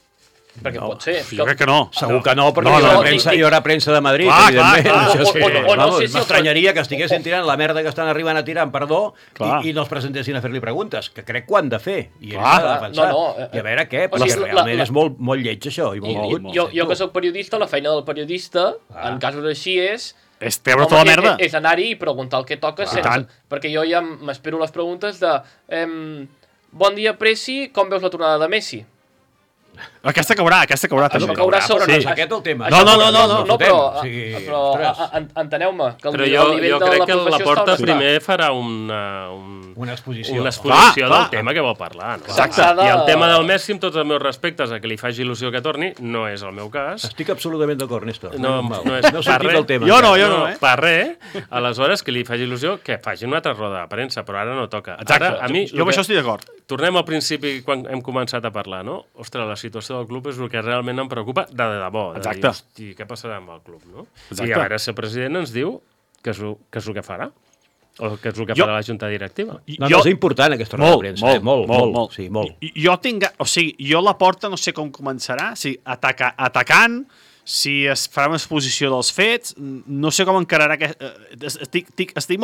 perquè pot ser. Jo crec que no. Segur que no, perquè hi haurà premsa de Madrid, evidentment. M'estranyaria que estiguessin tirant la merda que estan arribant a tirar, perdó, i no els presentessin a fer-li preguntes, que crec que ho han de fer. I ells s'ha de defensar. I a veure què, perquè realment és molt lleig això. Jo que soc periodista, la feina del periodista, en casos així és treure tota la merda. És anar-hi i preguntar el que toca, perquè jo ja m'espero les preguntes de bon dia, Presi, com veus la tornada de Messi? Aquesta caurà també. Això caurà sobre no és aquest el tema. No, però enteneu-me que el nivell de la professió està... Jo crec que la Porta primer farà una exposició del tema que vol parlar. I el tema del Messi, amb tots els meus respectes a que li faci il·lusió que torni, no és el meu cas. Estic absolutament d'acord, Néstor. No és per res. Jo no. Per res. Aleshores, que li faci il·lusió, que faci una altra roda de premsa, però ara no toca. Exacte. Jo amb això estic d'acord. Tornem al principi quan hem començat a parlar, no? Ostres, la situació del club és el que realment em preocupa de debò. Exacte. Hosti, què passarà amb el club, no? I a veure si el president ens diu què és el que farà. O què és el que farà la junta directiva. És important aquesta roda de premsa. Molt. Jo tinc... O sigui, jo la Porta no sé com començarà. O sigui, atacant... si es farà una exposició dels fets, no sé com encararà tinc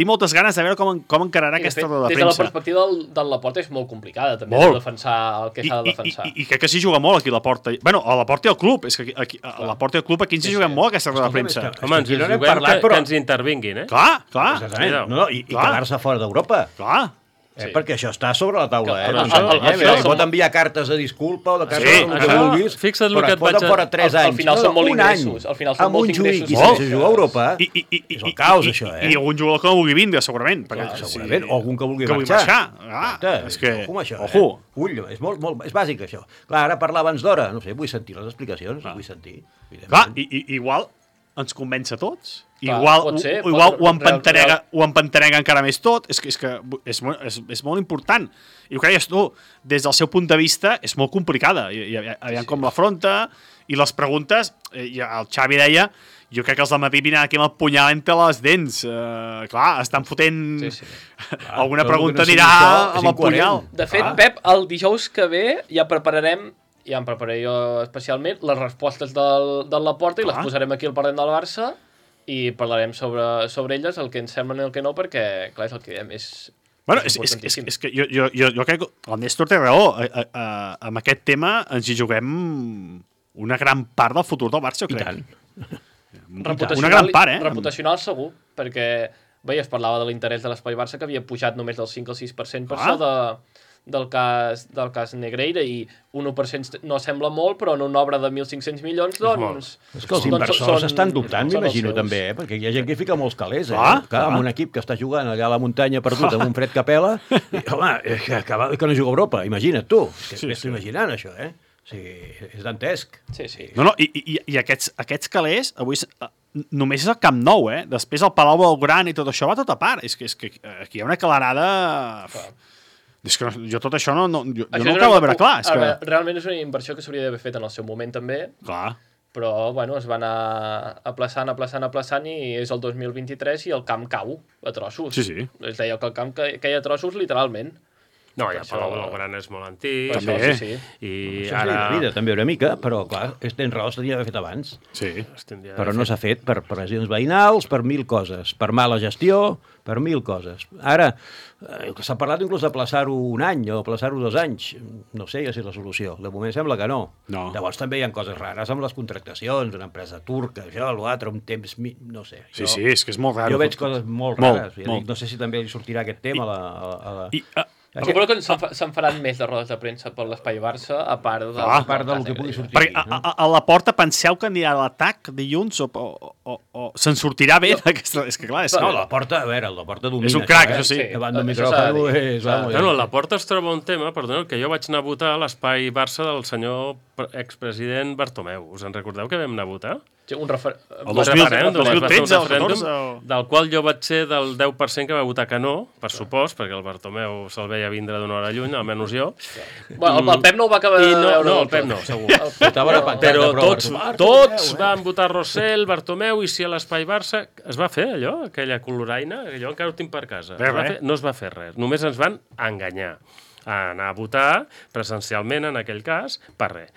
moltes ganes de veure com encararà aquesta roda de premsa. Des de la perspectiva del Laporta és molt complicada també de defensar el que s'ha de defensar. I crec que s'hi juga molt aquí a Laporta. Bueno, a Laporta i al club, és que a Laporta i al club aquí ens hi juguem molt aquesta roda de premsa. Home, ens hi juguem que ens intervinguin, Clar. I quedar-se fora d'Europa. Clar. Perquè això està sobre la taula, pot enviar cartes de disculpa o de cartes del que vulguis, fixa't però et poden fora 3 anys. Al final són molts ingressos. Al final són molts ingressos. I si juga a Europa, és el caos, això. I algun jugador que no vulgui vindre, segurament. Segurament, o algun que vulgui marxar. És que... Ojo. Ull, és bàsic, això. Clar, ara parlar abans d'hora, no sé, vull sentir les explicacions, vull sentir. Clar, igual ens convenç a tots. Igual ho empantanega encara més tot. És que és molt important. I ho creies tu, des del seu punt de vista, és molt complicada. Aviam com l'afronta. I les preguntes, el Xavi deia, jo crec que els del matí vinen aquí amb el punyal entre les dents. Clar, estan fotent... Alguna pregunta anirà amb el punyal. De fet, Pep, el dijous que ve ja prepararem, ja em prepararé jo especialment, les respostes del Laporta i les posarem aquí al Parlem del Barça i parlarem sobre elles, el que ens sembla i el que no, perquè, clar, és el que diem, és importantíssim. És que jo crec que el Néstor té raó. Amb aquest tema ens hi juguem una gran part del futur del Barça, jo crec. Una gran part, Reputacional segur, perquè es parlava de l'interès de l'Espai Barça, que havia pujat només del 5 al 6% per això del cas Negreira, i un 1% no sembla molt, però en una obra de 1.500 milions, doncs... És que els inversors estan dubtant, m'imagino, també, perquè hi ha gent que fica molts calés, amb un equip que està jugant allà a la muntanya perdut amb un fred que pela, i, home, que no juga a Europa, imagina't tu. M'estic imaginant, això, és dantesc. Sí. No, i aquests calés, avui només és el Camp Nou, Després el Palau Blaugrana i tot això va tot a part. És que aquí hi ha una calarada... És que jo tot això no ho acabo de veure clar. Realment és una inversió que s'hauria d'haver fet en el seu moment també. Clar. Però, es va anar aplaçant i és el 2023 i el camp cau a trossos. Sí. Es deia que el camp caia a trossos literalment. No, ja Palau Blaugrana és molt antic. També. Sí. I ara... vida, també una mica, però clar, tens raó, s'hauria d'haver fet abans. Sí. Però no s'ha fet per pressions veïnals, per 1000 coses, per mala gestió, per 1000 coses. Ara, s'ha parlat inclús d'aplaçar-ho un any o aplaçar-ho 2 anys. No sé si és la solució. De moment sembla que no. Llavors també hi ha coses rares amb les contractacions, una empresa turca, això, l'altre, un temps... No sé. Sí, és que és molt raro. Jo veig coses molt rares. No sé si també li sortirà aquest tema a la... Suposo que se'n faran més de rodes de premsa per l'Espai Barça, a part del que pugui sortir. Perquè a la porta penseu que anirà a l'atac dilluns o se'n sortirà bé d'aquesta... És que clar, no, la porta, a veure, la porta domina. És un crac, això sí. Davant del micròfon és... No, la porta es troba un tema, perdoneu, que jo vaig anar a votar a l'Espai Barça del senyor expresident Bartomeu. Us en recordeu que vam anar a votar? El 2013, del qual jo vaig ser del 10% que va votar que no, per supost, perquè el Bartomeu se'l veia vindre d'una hora lluny, almenys jo. El Pep no ho va acabar de veure. No, el Pep no, segur. Però tots van votar Rossell, Bartomeu, i si a l'Espai Barça es va fer allò, aquella coloraina, allò encara ho tinc per casa. No es va fer res, només ens van enganyar a anar a votar presencialment, en aquell cas, per res.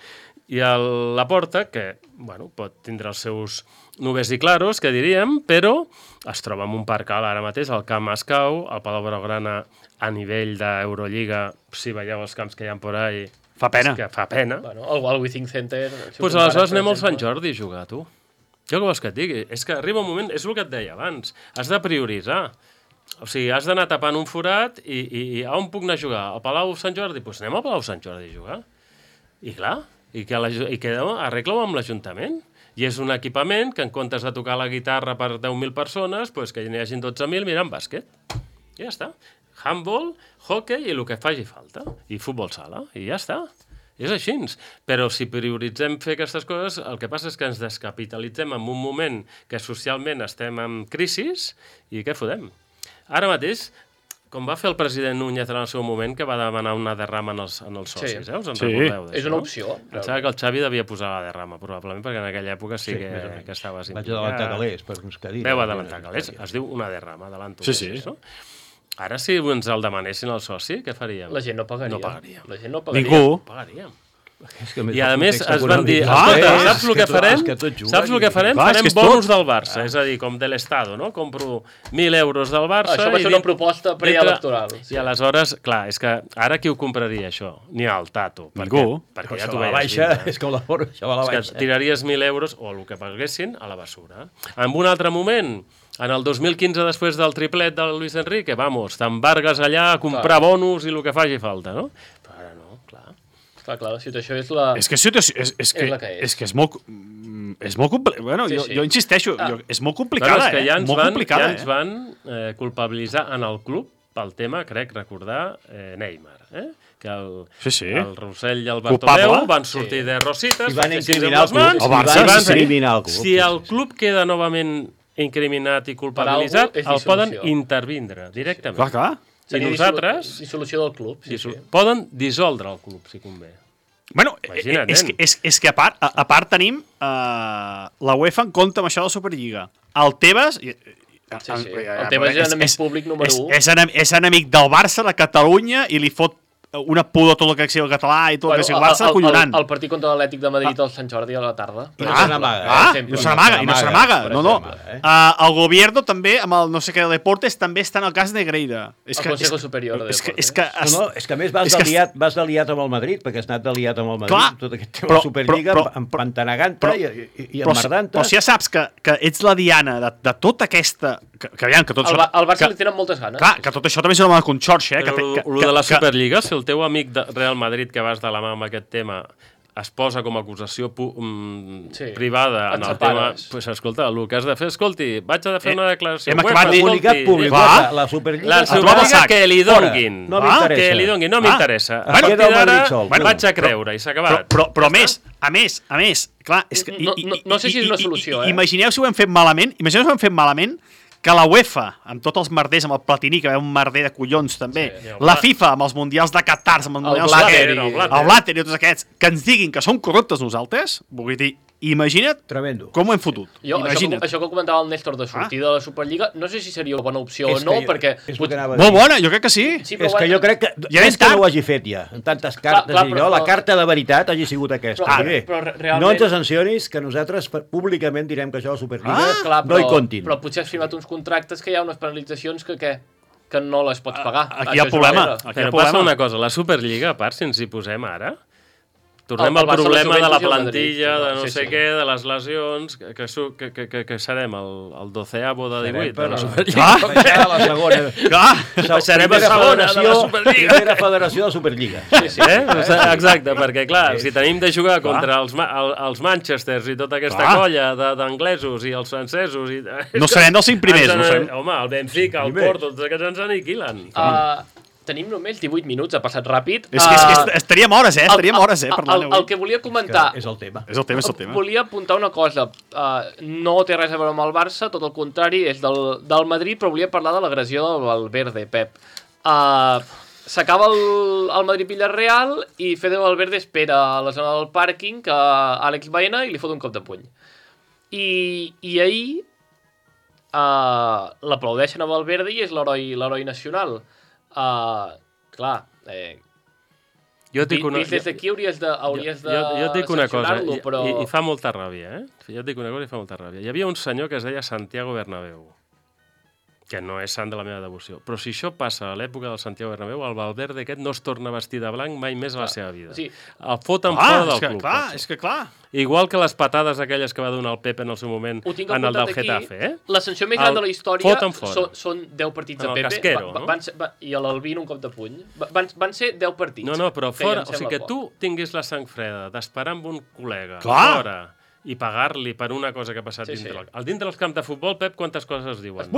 I la porta, que pot tindre els seus nubes i claros, que diríem, però es troba en un parc ara mateix, al Camp Ascau, al Palau Blaugrana, a nivell d'Eurolliga, si veieu els camps que hi ha por ahí... Fa pena. Fa pena. El Withing Center... Doncs aleshores anem al Sant Jordi a jugar, tu. Jo què vols que et digui? És que arriba un moment, és el que et deia abans, has de prioritzar. O sigui, has d'anar tapant un forat i a on puc anar a jugar? Al Palau Sant Jordi? Doncs anem al Palau Sant Jordi a jugar. I clar... I que arregla-ho amb l'Ajuntament. I és un equipament que en comptes de tocar la guitarra per 10.000 persones, que n'hi hagin 12.000 mirant bàsquet. I ja està. Handball, hockey i el que faci falta. I futbol sala. I ja està. És així. Però si prioritzem fer aquestes coses, el que passa és que ens descapitalitzem en un moment que socialment estem en crisi i què fotem? Ara mateix... Com va fer el president Núñez en el seu moment, que va demanar una derrama en els socis, us en recordeu d'això? És una opció. Em sembla que el Xavi devia posar la derrama, probablement, perquè en aquella època sí que estava... Vaig adelantar calés, per uns cadires. Veu adelantar calés, es diu una derrama, adelanto. Sí. No? Ara, si ens el demanessin al soci, què faríem? La gent no pagaria. No pagaria. La gent no pagaria. Ningú. Pagaríem. I a més es van dir, saps el que farem? Saps el que farem? Farem bonus del Barça, és a dir, com de l'Estado, no? Compro 1.000 euros del Barça... Això va ser una proposta preelectoral. I aleshores, clar, és que ara qui ho compraria, això? Ni el Tato. Ningú. Perquè ja Això t'ho va a la veies. baixa, és que això va a la És que baixa. tiraries 1.000 euros, o el que paguessin, a la bessura. En un altre moment, en el 2015, després del triplet del Luis Enrique, vamos, t'embargues allà a comprar bonus i el que faci falta, no? Però ara no, clar. Clar, la situació és la... És que la que és. és molt... És molt complicat. Bueno, jo insisteixo, és molt complicada, És que ja ens ens van culpabilitzar en el club pel tema, crec recordar, Neymar, que el Rossell i el Bartomeu van sortir de rosites, I van incriminar el club. Si el club queda novament incriminat i culpabilitzat, el poden intervindre directament. Clar. I nosaltres... Dissolució del club, poden dissoldre el club, si convé. Bueno, és que a part tenim la UEFA en compte amb això de la Superliga. El Tebas... El Tebas és enemic públic número 1. És enemic del Barça, de Catalunya, i li fot una pudor tot el que sigui el català i tot el que sigui el Barça, collonant. El partit contra l'Atlètic de Madrid al Sant Jordi a la tarda. I no se n'amaga. No se n'amaga. No. El Gobierno també, amb el no sé què de Deportes, també està en el cas de Negreira. El Consejo Superior de Deportes. És que a més vas d'aliat amb el Madrid, perquè has anat d'aliat amb el Madrid, tot aquest tema de Superliga, empantanegant-te i emmerdant-te. Però si ja saps que ets la diana de tota aquesta... El Barça li tenen moltes ganes. Clar, que tot això també és una conxorxa. Però de la Superliga, si el teu amic de Real Madrid, que vas de la mà amb aquest tema, es posa com a acusació privada en el tema... Pues, escolta, el que has de fer, vaig a fer una declaració. Hem acabat de comunicat públic. La Superliga... La Superliga que li donguin. No m'interessa. A partir d'ara vaig a creure i s'ha acabat. Però a més, clar... No sé si és una solució, Imagineu si ho hem fet malament, que la UEFA, amb tots els merders, amb el Platini, que ve un merder de collons també, la FIFA, amb els mundials de Qatar, amb els mundials el Blatter i tots aquests, que ens diguin que som corruptes nosaltres, vull dir, imagina't com ho hem fotut. Això que comentava el Néstor de sortir de la Superliga, no sé si seria una bona opció o no, perquè... Molt bona, jo crec que sí. És que jo crec que no ho hagi fet ja, en tantes cartes, la carta de veritat hagi sigut aquesta. No ens sancionis que nosaltres públicament direm que això de la Superliga no hi comptin. Però potser has firmat uns contractes que hi ha unes penalitzacions que no les pots pagar. Aquí hi ha problema. Però passa una cosa, la Superliga, a part, si ens hi posem ara... Tornem al problema de la plantilla, de no sé què, de les lesions, que serem el 12avo de 18 de la Superliga. La segona. Serem a segona de la Superliga. Primera federació de la Superliga. Exacte, perquè clar, si tenim de jugar contra els Manchesters i tota aquesta colla d'anglesos i els francesos... No serem dels 5 primers, no serem. Home, el Benfica, el Porto, tots aquests ens aniquilen. Tenim només 18 minuts, ha passat ràpid. És que estaríem hores, parlant avui. El que volia comentar... És el tema. Volia apuntar una cosa. No té res a veure amb el Barça, tot el contrari, és del Madrid, però volia parlar de l'agressió del Valverde, Pep. S'acaba el Madrid-Villarreal i Fede Valverde espera a la zona del pàrquing que Àlex Baena i li fot un cop de puny. I ahir l'aplaudeixen a Valverde i és l'heroi nacional. Clar, jo et dic una... des d'aquí hauries de jo et dic una cosa, però... i fa molta ràbia, Jo et dic una cosa i fa molta ràbia. Hi havia un senyor que es deia Santiago Bernabéu, que no és sant de la meva devoció, però si això passa a l'època del Santiago Bernabéu, el Valverde aquest no es torna a vestir de blanc mai més a la seva vida. El foten fora del club. És que clar. Igual que les patades aquelles que va donar el Pepe en el seu moment en el del Getafe. La sanció més gran de la història són 10 partits de Pepe i a l'Albín un cop de puny. Van ser 10 partits. No, però fora, o sigui que tu tinguis la sang freda d'esperar amb un col·lega fora i pagar-li per una cosa que ha passat dintre. Dintre dels camps de futbol, Pep, quantes coses es diuen?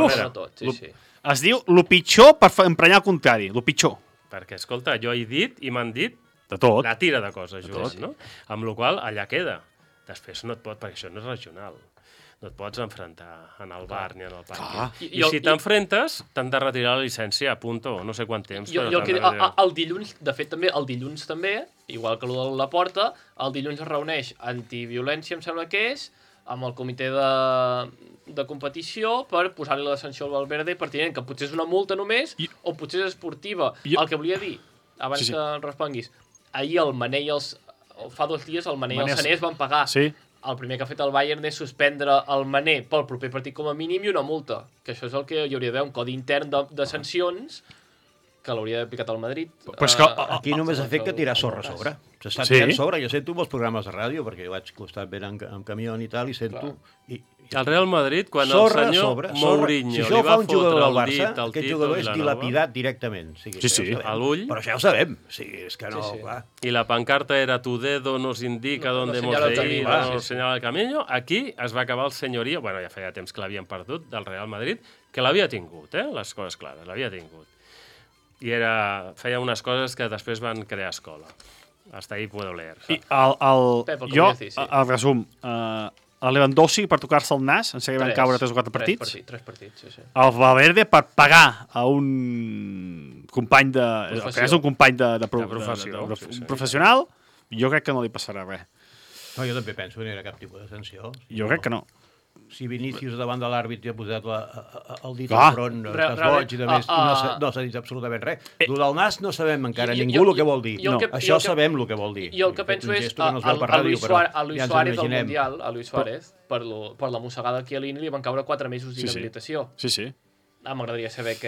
Es diu lo pitjor per emprenyar el contrari, lo pitjor. Perquè, escolta, jo he dit i m'han dit de tot. Una tira de coses, no? Amb la qual allà queda. Després no et pot, perquè això no és regional. No et pots enfrontar en el bar ni en el parc. I si t'enfrentes, t'han de retirar la llicència a punto, no sé quant temps. El dilluns, de fet també, igual que el de la Porta, el dilluns es reuneix antiviolència, em sembla que és, amb el comitè de competició per posar-li la sanció al Valverde pertinent, que potser és una multa només, o potser és esportiva. El que volia dir, abans que responguis, ahir el Mané i fa 2 dies el Mané i el Sané es van pagar. Sí. El primer que ha fet el Bayern és suspendre el Mané pel proper partit com a mínim i una multa, que això és el que hi hauria d'haver, un codi intern de sancions que l'hauria d'haver aplicat al Madrid. Però és que Aquí només ha fet que tirar sorra a sobre. S'està tirant sobre. Jo sento molts programes de ràdio, perquè jo vaig costat ben amb camió i tal, i sento... El Real Madrid, quan el senyor Mourinho li va fotre el dit al aquest Tito jugador és Vilanova... dilapidat directament. Sí. A l'ull. Però això ja ho sabem. És que no, clar. I la pancarta era tu dedo nos indica dónde hemos de ir, nos señala el camino. Aquí es va acabar el senyoria, bueno, ja feia temps que l'havien perdut, del Real Madrid, que l'havia tingut, les coses clares, l'havia tingut. I feia unes coses que després van crear escola. Hasta ahí puedo leer. I el resum, el Lewandowski per tocar-se el nas, en seguida van caure 3 o 4 partits. 3 partits, sí. El Valverde per pagar a un company un company de professional, jo crec que no li passarà res. No, jo també penso que no hi ha cap tipus de sanció. Jo crec que no. Si Vinícius davant de l'àrbit ja ha posat el dit al front, estàs boig i més, no s'ha dit absolutament res. El del nas no sabem encara ningú el que vol dir. Això sabem el que vol dir. Jo el que penso és a Luis Suárez del Mundial, a Luis Suárez, per la mossegada a Chiellini li van caure 4 mesos d'inhabilitació. Sí. M'agradaria saber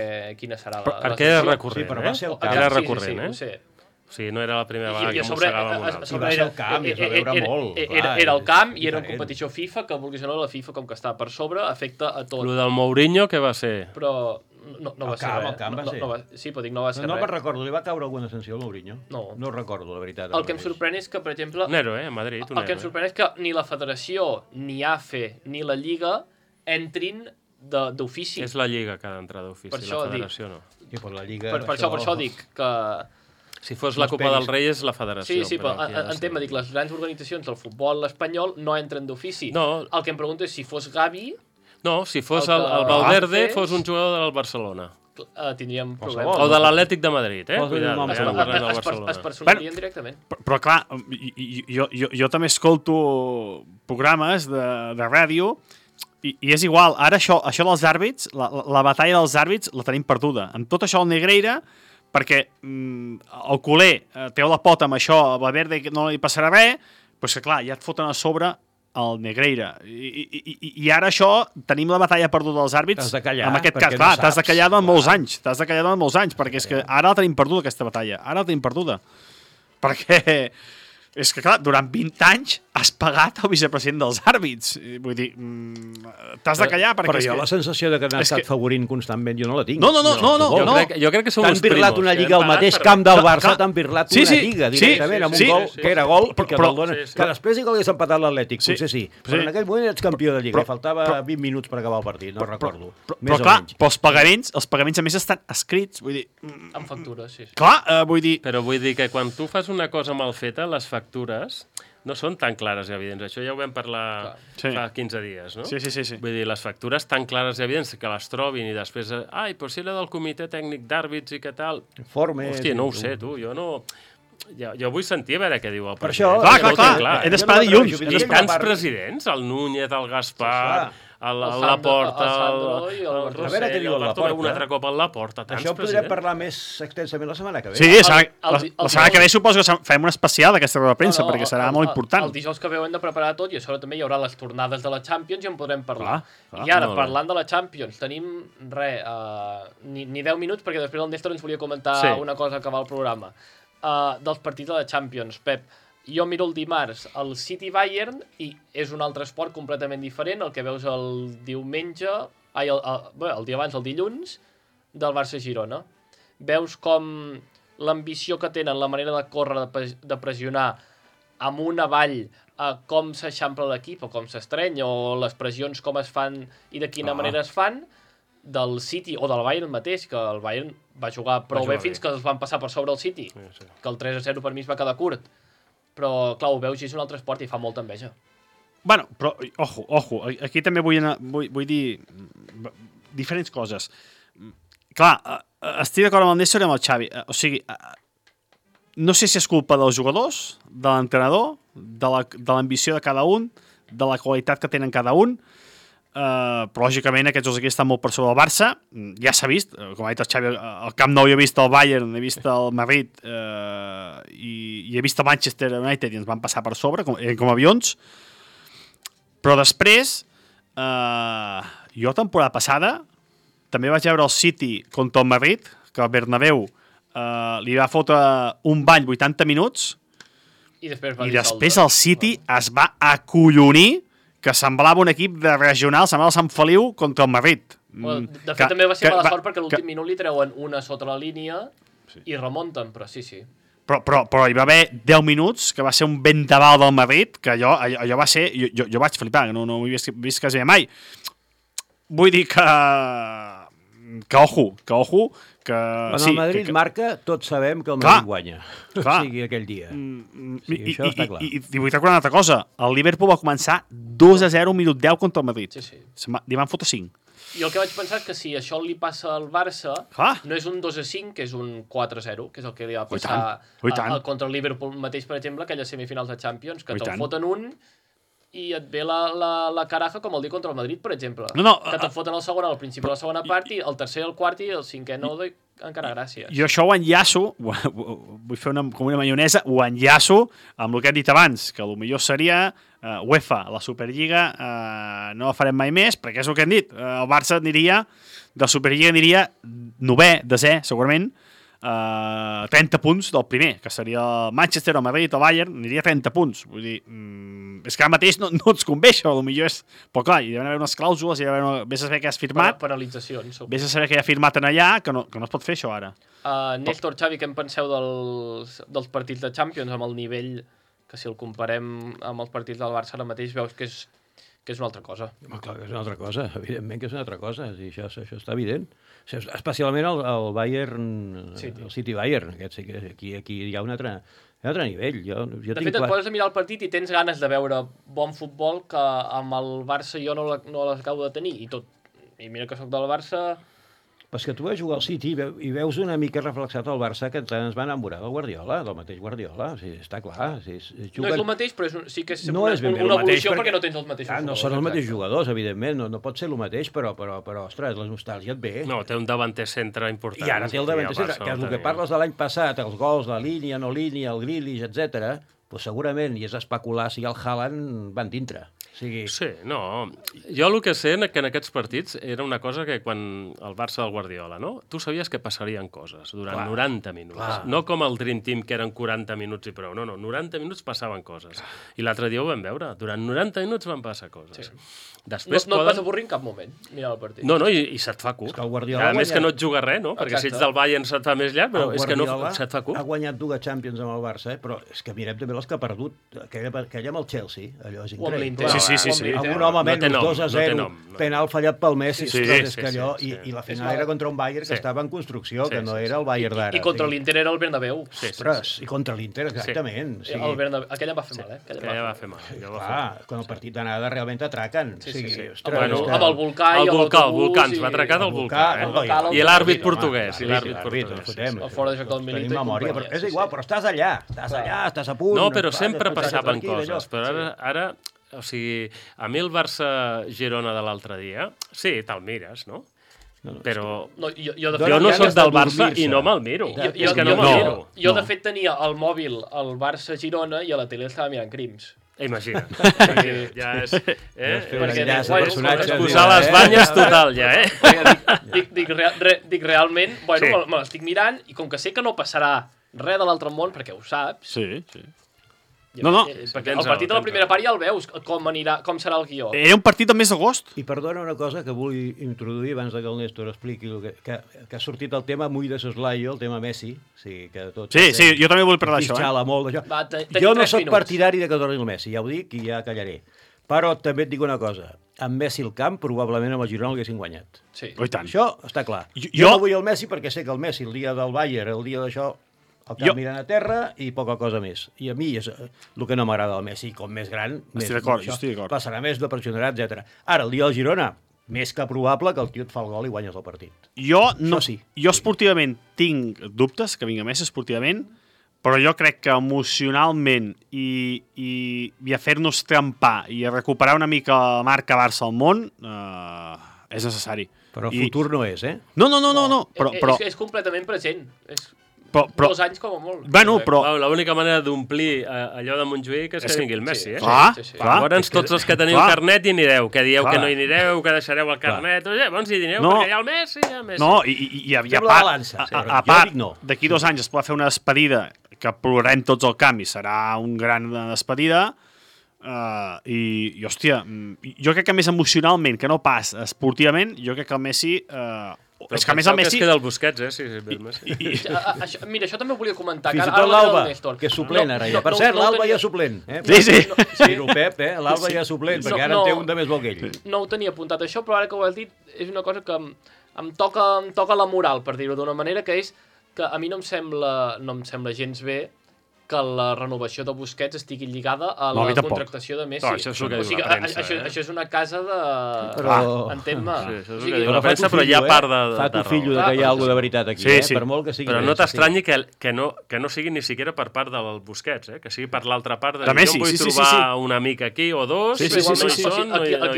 quina serà la sanció. Perquè era recurrent, Era recurrent, ho sé. O sigui, no era la primera vegada que mossegàvem un altre. I va ser el camp, i es va veure molt. Era el camp i era en competició FIFA, que vulguis o no, la FIFA, com que està per sobre, afecta a tot. Lo del Mourinho, què va ser? Però no va ser res. El camp va ser. Sí, però dic, no va ser res. No me'n recordo, li va caure alguna sanció al Mourinho? No recordo, la veritat. El que em sorprèn és que, per exemple... Un héroe, a Madrid, El que em sorprèn és que ni la Federació, ni AFE, ni la Lliga entrin d'ofici. És la Lliga que ha d'entrar d'ofici, la Federació no. Per això dic que... Si fos la Copa del Rei és la Federació. Sí, però entenc, dic, les grans organitzacions del futbol espanyol no entren d'ofici. El que em pregunto és si fos Gavi... No, si fos el Valverde, fos un jugador del Barcelona. Tindríem problemes. O de l'Atlètic de Madrid, Es personarien directament. Però clar, jo també escolto programes de ràdio i és igual. Ara això dels àrbits, la batalla dels àrbits la tenim perduda. Amb tot això el Negreira, perquè el culer treu la pota amb això, a Valverde no li passarà res, però és que clar, ja et foten a sobre el Negreira. I ara això, tenim la batalla perduda dels àrbits. T'has de callar, en aquest cas, clar, t'has de callar durant molts anys. Perquè és que ara la tenim perduda, aquesta batalla. Ara la tenim perduda. Perquè és que, clar, durant 20 anys has pagat el vicepresident dels àrbits. Vull dir, t'has de callar perquè... Però jo la sensació de que n'ha estat favorint constantment jo no la tinc. No. Jo crec que som uns primos. T'han pirlat una lliga al mateix camp del Barça, t'han pirlat una lliga directament amb un gol que era gol i que te'l donen. Que després que hagués empatat l'Atlètic, potser sí. Però en aquell moment ets campió de lliga. Faltava 20 minuts per acabar el partit, no recordo. Però clar, els pagaments a més estan escrits, vull dir... Amb factures, sí. Clar, vull dir... Però vull dir que quan tu fas una cosa mal feta, les factures no són tan clares i evidents. Això ja ho vam parlar fa 15 dies, no? Sí. Vull dir, les factures tan clares i evidents que les trobin i després... però si era del comitè tècnic d'àrbits i què tal... Hòstia, no ho sé, tu, jo no... Jo vull sentir a veure què diu el president. Per això, clar, he d'esperar dilluns. I tants presidents, el Núñez, el Gaspar... la Porta, el Rossell, el Bartomeu un altre cop a la Porta. Això podrem parlar més extensament la setmana que ve. Sí, la setmana que ve suposo que farem un especial d'aquesta roda de premsa, perquè serà molt important. El dijous que ve ho hem de preparar tot i a sobre també hi haurà les tornades de la Champions i en podrem parlar. I ara, parlant de la Champions, tenim, ni 10 minuts, perquè després el Néstor ens volia comentar una cosa que va al programa. Dels partits de la Champions, Pep. Jo miro el dimarts el City-Bayern i és un altre esport completament diferent, el que veus el diumenge, el dia abans, el dilluns, del Barça-Girona. Veus com l'ambició que tenen, la manera de córrer, de pressionar amunt avall, com s'eixampla l'equip o com s'estreny, o les pressions com es fan i de quina manera es fan, del City o del Bayern mateix, que el Bayern va jugar prou bé fins que es van passar per sobre el City, que el 3-0 per mi es va quedar curt. Però, clar, ho veus i és un altre esport i fa molta enveja. Bueno, però, ojo, aquí també vull dir diferents coses. Clar, estic d'acord amb el Néstor i amb el Xavi. O sigui, no sé si és culpa dels jugadors, de l'entrenador, de l'ambició de cada un, de la qualitat que tenen cada un, però lògicament aquests dos aquí estan molt per sobre del Barça. Ja s'ha vist, com ha dit el Xavi, al Camp Nou he vist el Bayern, he vist el Madrid i i he vist el Manchester United i ens van passar per sobre, com avions. Però després, jo temporada passada, també vaig veure el City contra el Madrid, que el Bernabéu li va fotre un bany 80 minuts, i després el City es va acollonir, que semblava un equip de regional, semblava el Sant Feliu contra el Madrid. De fet, també va ser mala sort perquè l'últim minut li treuen una sota la línia i remunten, però sí. Però hi va haver 10 minuts que va ser un vendaval del Madrid, que allò va ser... Jo vaig flipar, no ho he vist quasi mai. Vull dir que ojo, que... Quan el Madrid marca, tots sabem que el Madrid guanya. O sigui, aquell dia. Això està clar. I vull recordar una altra cosa. El Liverpool va començar 2-0 minut 10 contra el Madrid. Sí. Li van fotre 5. I el que vaig pensar és que si això li passa al Barça, no és un 2-5, que és un 4-0, que és el que li va passar contra el Liverpool mateix, per exemple, aquelles semifinals de Champions, que te'l foten un i et ve la caraja com el dia contra el Madrid, per exemple. Que te'n foten el segon al principi de la segona part, i el tercer, el quart i el cinquè no doy encara gràcies. Jo això ho enllaço, vull fer com una maionesa, ho enllaço amb el que he dit abans, que potser seria UEFA, la Superliga, no la farem mai més, perquè és el que hem dit. El Barça aniria, de la Superliga aniria 9è, 10è, segurament, 30 punts del primer, que seria el Manchester, el Madrid, el Bayern, aniria 30 punts. Vull dir, és que ara mateix no ens convé això, potser és... Però clar, hi ha d'haver unes clàusules, vés a saber què has firmat, penalitzacions. Vés a saber què ha firmat en allà, que no es pot fer això ara. Néstor, Xavi, què en penseu dels partits de Champions, amb el nivell que si el comparem amb els partits del Barça ara mateix veus que és una altra cosa? Home, clar que és una altra cosa, evidentment que és una altra cosa, això està evident. Especialment el Bayern, el City-Bayern, aquí hi ha un altre nivell. De fet, et poses a mirar el partit i tens ganes de veure bon futbol que amb el Barça jo no l'acabo de tenir. I mira que sóc del Barça... Però és que tu vas jugar al City i veus una mica reflexat el Barça que ens va enamorar del Guardiola, del mateix Guardiola, o sigui, està clar. No és el mateix, però sí que és una evolució perquè no tens els mateixos jugadors. No són els mateixos jugadors, evidentment, no pot ser el mateix, però ostres, la nostàlgia et ve. No, té un davanter centre important. I ara té el davanter centre, que és el que parles de l'any passat, els gols, la línia, no línia, el Grealish, etc. Doncs segurament, i és especular si el Haaland van dintre. Sí, no. Jo el que sé que en aquests partits era una cosa que quan el Barça del Guardiola, no? Tu sabies que passarien coses durant 90 minuts. No com el Dream Team, que eren 40 minuts i prou. No, 90 minuts passaven coses. I l'altre dia ho vam veure. Durant 90 minuts van passar coses. Després no et vas avorrir en cap moment, mirar el partit. No, i se't fa curt. A més que no et juga res, no? Perquè si ets del Bayern se't fa més llarg, però és que no se't fa curt. Ha guanyat 2 Champions amb el Barça, però és que mirem també les que ha perdut. Aquella amb el Chelsea, allò és increïble. Sí. Amb un home menys, 2-0, penal fallat pel Messi, és que allò, i la final era contra un Bayern que estava en construcció, que no era el Bayern d'ara. I contra l'Inter era el Bernabéu. Ostres, i contra l'Inter, exactament. Aquella va fer mal, Aquella va fer mal. Clar, quan el partit d'anada realment atraquen. Amb el Volcà i l'Autobús. Ens va atracar del Volcà. I l'àrbit portuguès. El fora de joc del Milito. Tenim memòria, però és igual, però estàs allà, estàs a punt. No, però sempre passaven coses. Però ara... O sigui, a mi el Barça-Girona de l'altre dia, sí, te'l mires, no? Però jo no soc del Barça i no me'l miro. És que no me'l miro. Jo, de fet, tenia al mòbil el Barça-Girona i a la tele estava mirant Crims. Imagina't. Ja és... Posar les banyes total, ja, Dic, realment, bueno, me l'estic mirant i com que sé que no passarà res de l'altre món, perquè ho saps... Sí. No. Perquè el partit de la primera part ja el veus, com serà el guió. Era un partit del mes d'agost. I perdona una cosa que vull introduir abans que el Néstor expliqui que ha sortit el tema muy de soslayo, el tema Messi. Sí, jo també vull parlar d'això. Jo no soc partidari de que torni el Messi, ja ho dic i ja callaré. Però també et dic una cosa. Amb Messi al camp, probablement amb el Girona l'haguessin guanyat. Sí. Això està clar. Jo no vull el Messi perquè sé que el Messi, el dia del Bayern, el dia d'això, el camp mirant a terra i poca cosa més. I a mi és el que no m'agrada del Messi. Com més gran, estic d'acord. Passarà més, no pressionarà, etc. Ara, el dia del Girona, més que probable que el tio et fa el gol i guanyes el partit. Jo esportivament tinc dubtes que vinga Messi esportivament, però jo crec que emocionalment i a fer-nos trempar i a recuperar una mica la marca Barça al món és necessari. Però el futur no és, eh? No. Però... És completament present. 2 anys com a molt. Bueno, però... L'única manera d'omplir allò de Montjuïc és que vingui el Messi, eh? Clar. Llavors tots els que teniu carnet hi anireu, que dieu que no hi anireu, que deixareu el carnet, llavors hi anireu perquè hi ha el Messi, No, i a part, d'aquí 2 anys es pot fer una despedida que plorarem tots al camp i serà un gran despedida. I hòstia, jo crec que més emocionalment que no pas esportivament, jo crec que el Messi... és que a més el Messi... que es queda el Busquets, sí, el Messi. Mira, això també ho volia comentar. Fins i tot l'Alba, que és suplent ara ja. Per cert, l'Alba ja és suplent. Sí. Dir-ho, Pep, l'Alba ja és suplent, perquè ara en té un de més bo que ell. No ho tenia apuntat això, però ara que ho has dit és una cosa que em toca la moral, per dir-ho d'una manera, que és que a mi no em sembla gens bé que la renovació de Busquets estigui lligada a la contractació de Messi. No, això és el que diu la premsa. Això és una casa de... Entén-me. Sí, això és el que diu la premsa, però hi ha part de... Fa tu fillo que hi ha alguna de veritat aquí, per molt que sigui... Però no t'estranyi que no sigui ni siquiera per part del Busquets, que sigui per l'altra part de... Messi, jo vull trobar un amic aquí o dos, aquí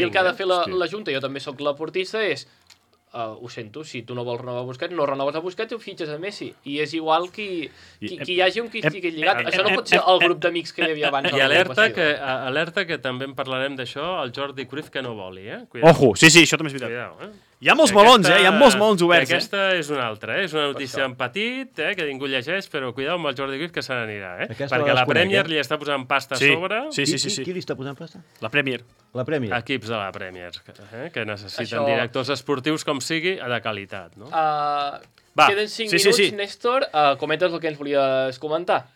el que ha de fer la Junta, jo també sóc l'aportista, és... ho sento, si tu no vols renovar Busquets, no renoves a Busquets i ho fitxes a Messi. I és igual qui hi hagi un qui estigui lligat. Això no pot ser el grup d'amics que hi havia abans. I alerta que també en parlarem d'això, el Jordi Cruyff que no voli, Ojo, sí, això també és veritat. Hi ha molts melons, hi ha molts melons oberts. Aquesta és una altra, és una notícia en petit, que ningú llegeix, però cuidao amb el Jordi Cruyff que se n'anirà, perquè la Premier li està posant pasta a sobre. Sí. Qui li està posant pasta? La Premier. Equips de la Premier, que necessiten directors esportius com sigui, de qualitat, no? Queden 5 minuts, Néstor. Comentes el que ens volies comentar.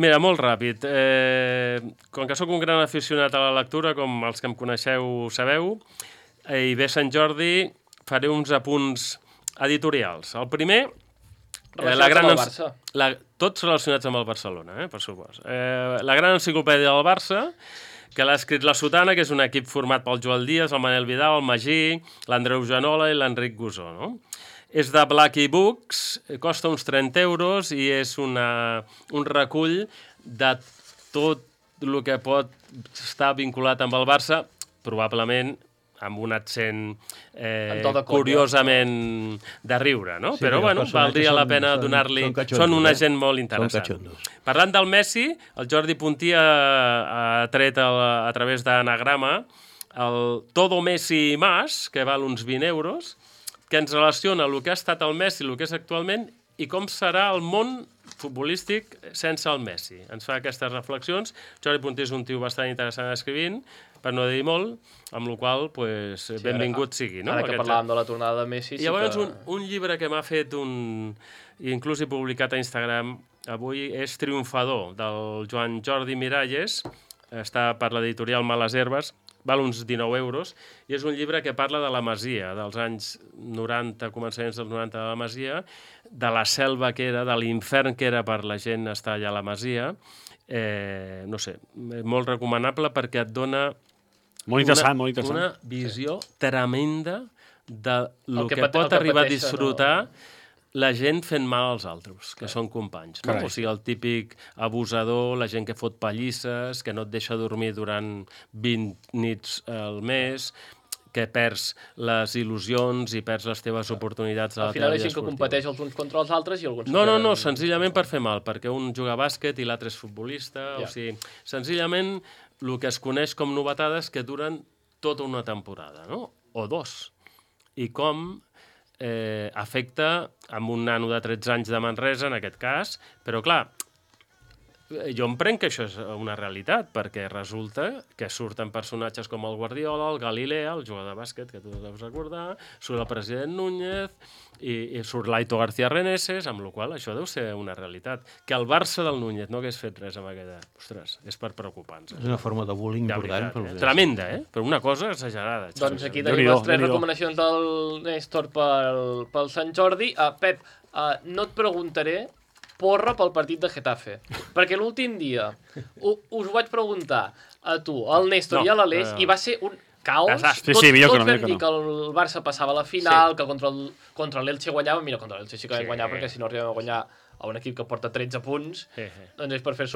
Mira, molt ràpid. Com que sóc un gran aficionat a la lectura, com els que em coneixeu sabeu, i ve Sant Jordi, faré uns apunts editorials. El primer... Relacionats amb el Barça. Tots relacionats amb el Barcelona, per supost. La gran enciclopèdia del Barça, que l'ha escrit la Sotana, que és un equip format pel Joel Díaz, el Manel Vidal, el Magí, l'Andreu Janola i l'Enric Gusó, no? És de Blackie Books, costa uns 30 euros i és un recull de tot el que pot estar vinculat amb el Barça, probablement amb un accent curiosament de riure, no? Però, bueno, valdria la pena donar-li... Són una gent molt interessant. Parlant del Messi, el Jordi Puntí ha tret a través d'anagrama el Todo Messi i Más, que val uns 20 euros, que ens relaciona el que ha estat el Messi, el que és actualment, i com serà el món futbolístic sense el Messi. Ens fa aquestes reflexions. Jordi Puntí és un tio bastant interessant escrivint, per no dir molt, amb la qual cosa, benvingut sigui. Ara que parlàvem de la tornada de Messi... I llavors un llibre que m'ha fet inclús he publicat a Instagram avui és Triomfador, del Joan Jordi Miralles, està per l'editorial Males Herbes, val uns 19 euros, i és un llibre que parla de la Masia, dels anys 90, començaments dels 90 de la Masia, de la selva que era, de l'infern que era per la gent estar allà a la Masia. No sé, molt recomanable perquè et dona una visió tremenda del que pot arribar a disfrutar la gent fent mal als altres, que són companys. No? O sigui, el típic abusador, la gent que fot pallisses, que no et deixa dormir durant 20 nits al mes, que perds les il·lusions i perds les teves oportunitats a la teva vida esportiva. Al final és gent que competeix els uns contra els altres i alguns... No, senzillament per fer mal, perquè un juga a bàsquet i l'altre és futbolista, o sigui, senzillament el que es coneix com novetades que duren tota una temporada, no? O 2. I com afecta amb un nano de 13 anys de Manresa, en aquest cas, però clar, jo em prenc que això és una realitat, perquè resulta que surten personatges com el Guardiola, el Galilea, el jugador de bàsquet, que tu deus recordar, surt el president Núñez i surt l'Aito García Reneses, amb la qual això deu ser una realitat. Que el Barça del Núñez no hagués fet res amb aquella... Ostres, és per preocupar-nos. És una forma de bullying important. Tremenda, però una cosa exagerada. Doncs aquí tenim les 3 recomanacions del Néstor pel Sant Jordi. Pep, no et preguntaré porra pel partit de Getafe. Perquè l'últim dia us ho vaig preguntar a tu, al Néstor i a l'Aleix, i va ser un caos. Tots vam dir que el Barça passava a la final, que contra l'Elche guanyava. Mira, contra l'Elche sí que vam guanyar, perquè si no arribem a guanyar a un equip que porta 13 punts, doncs és per fer-se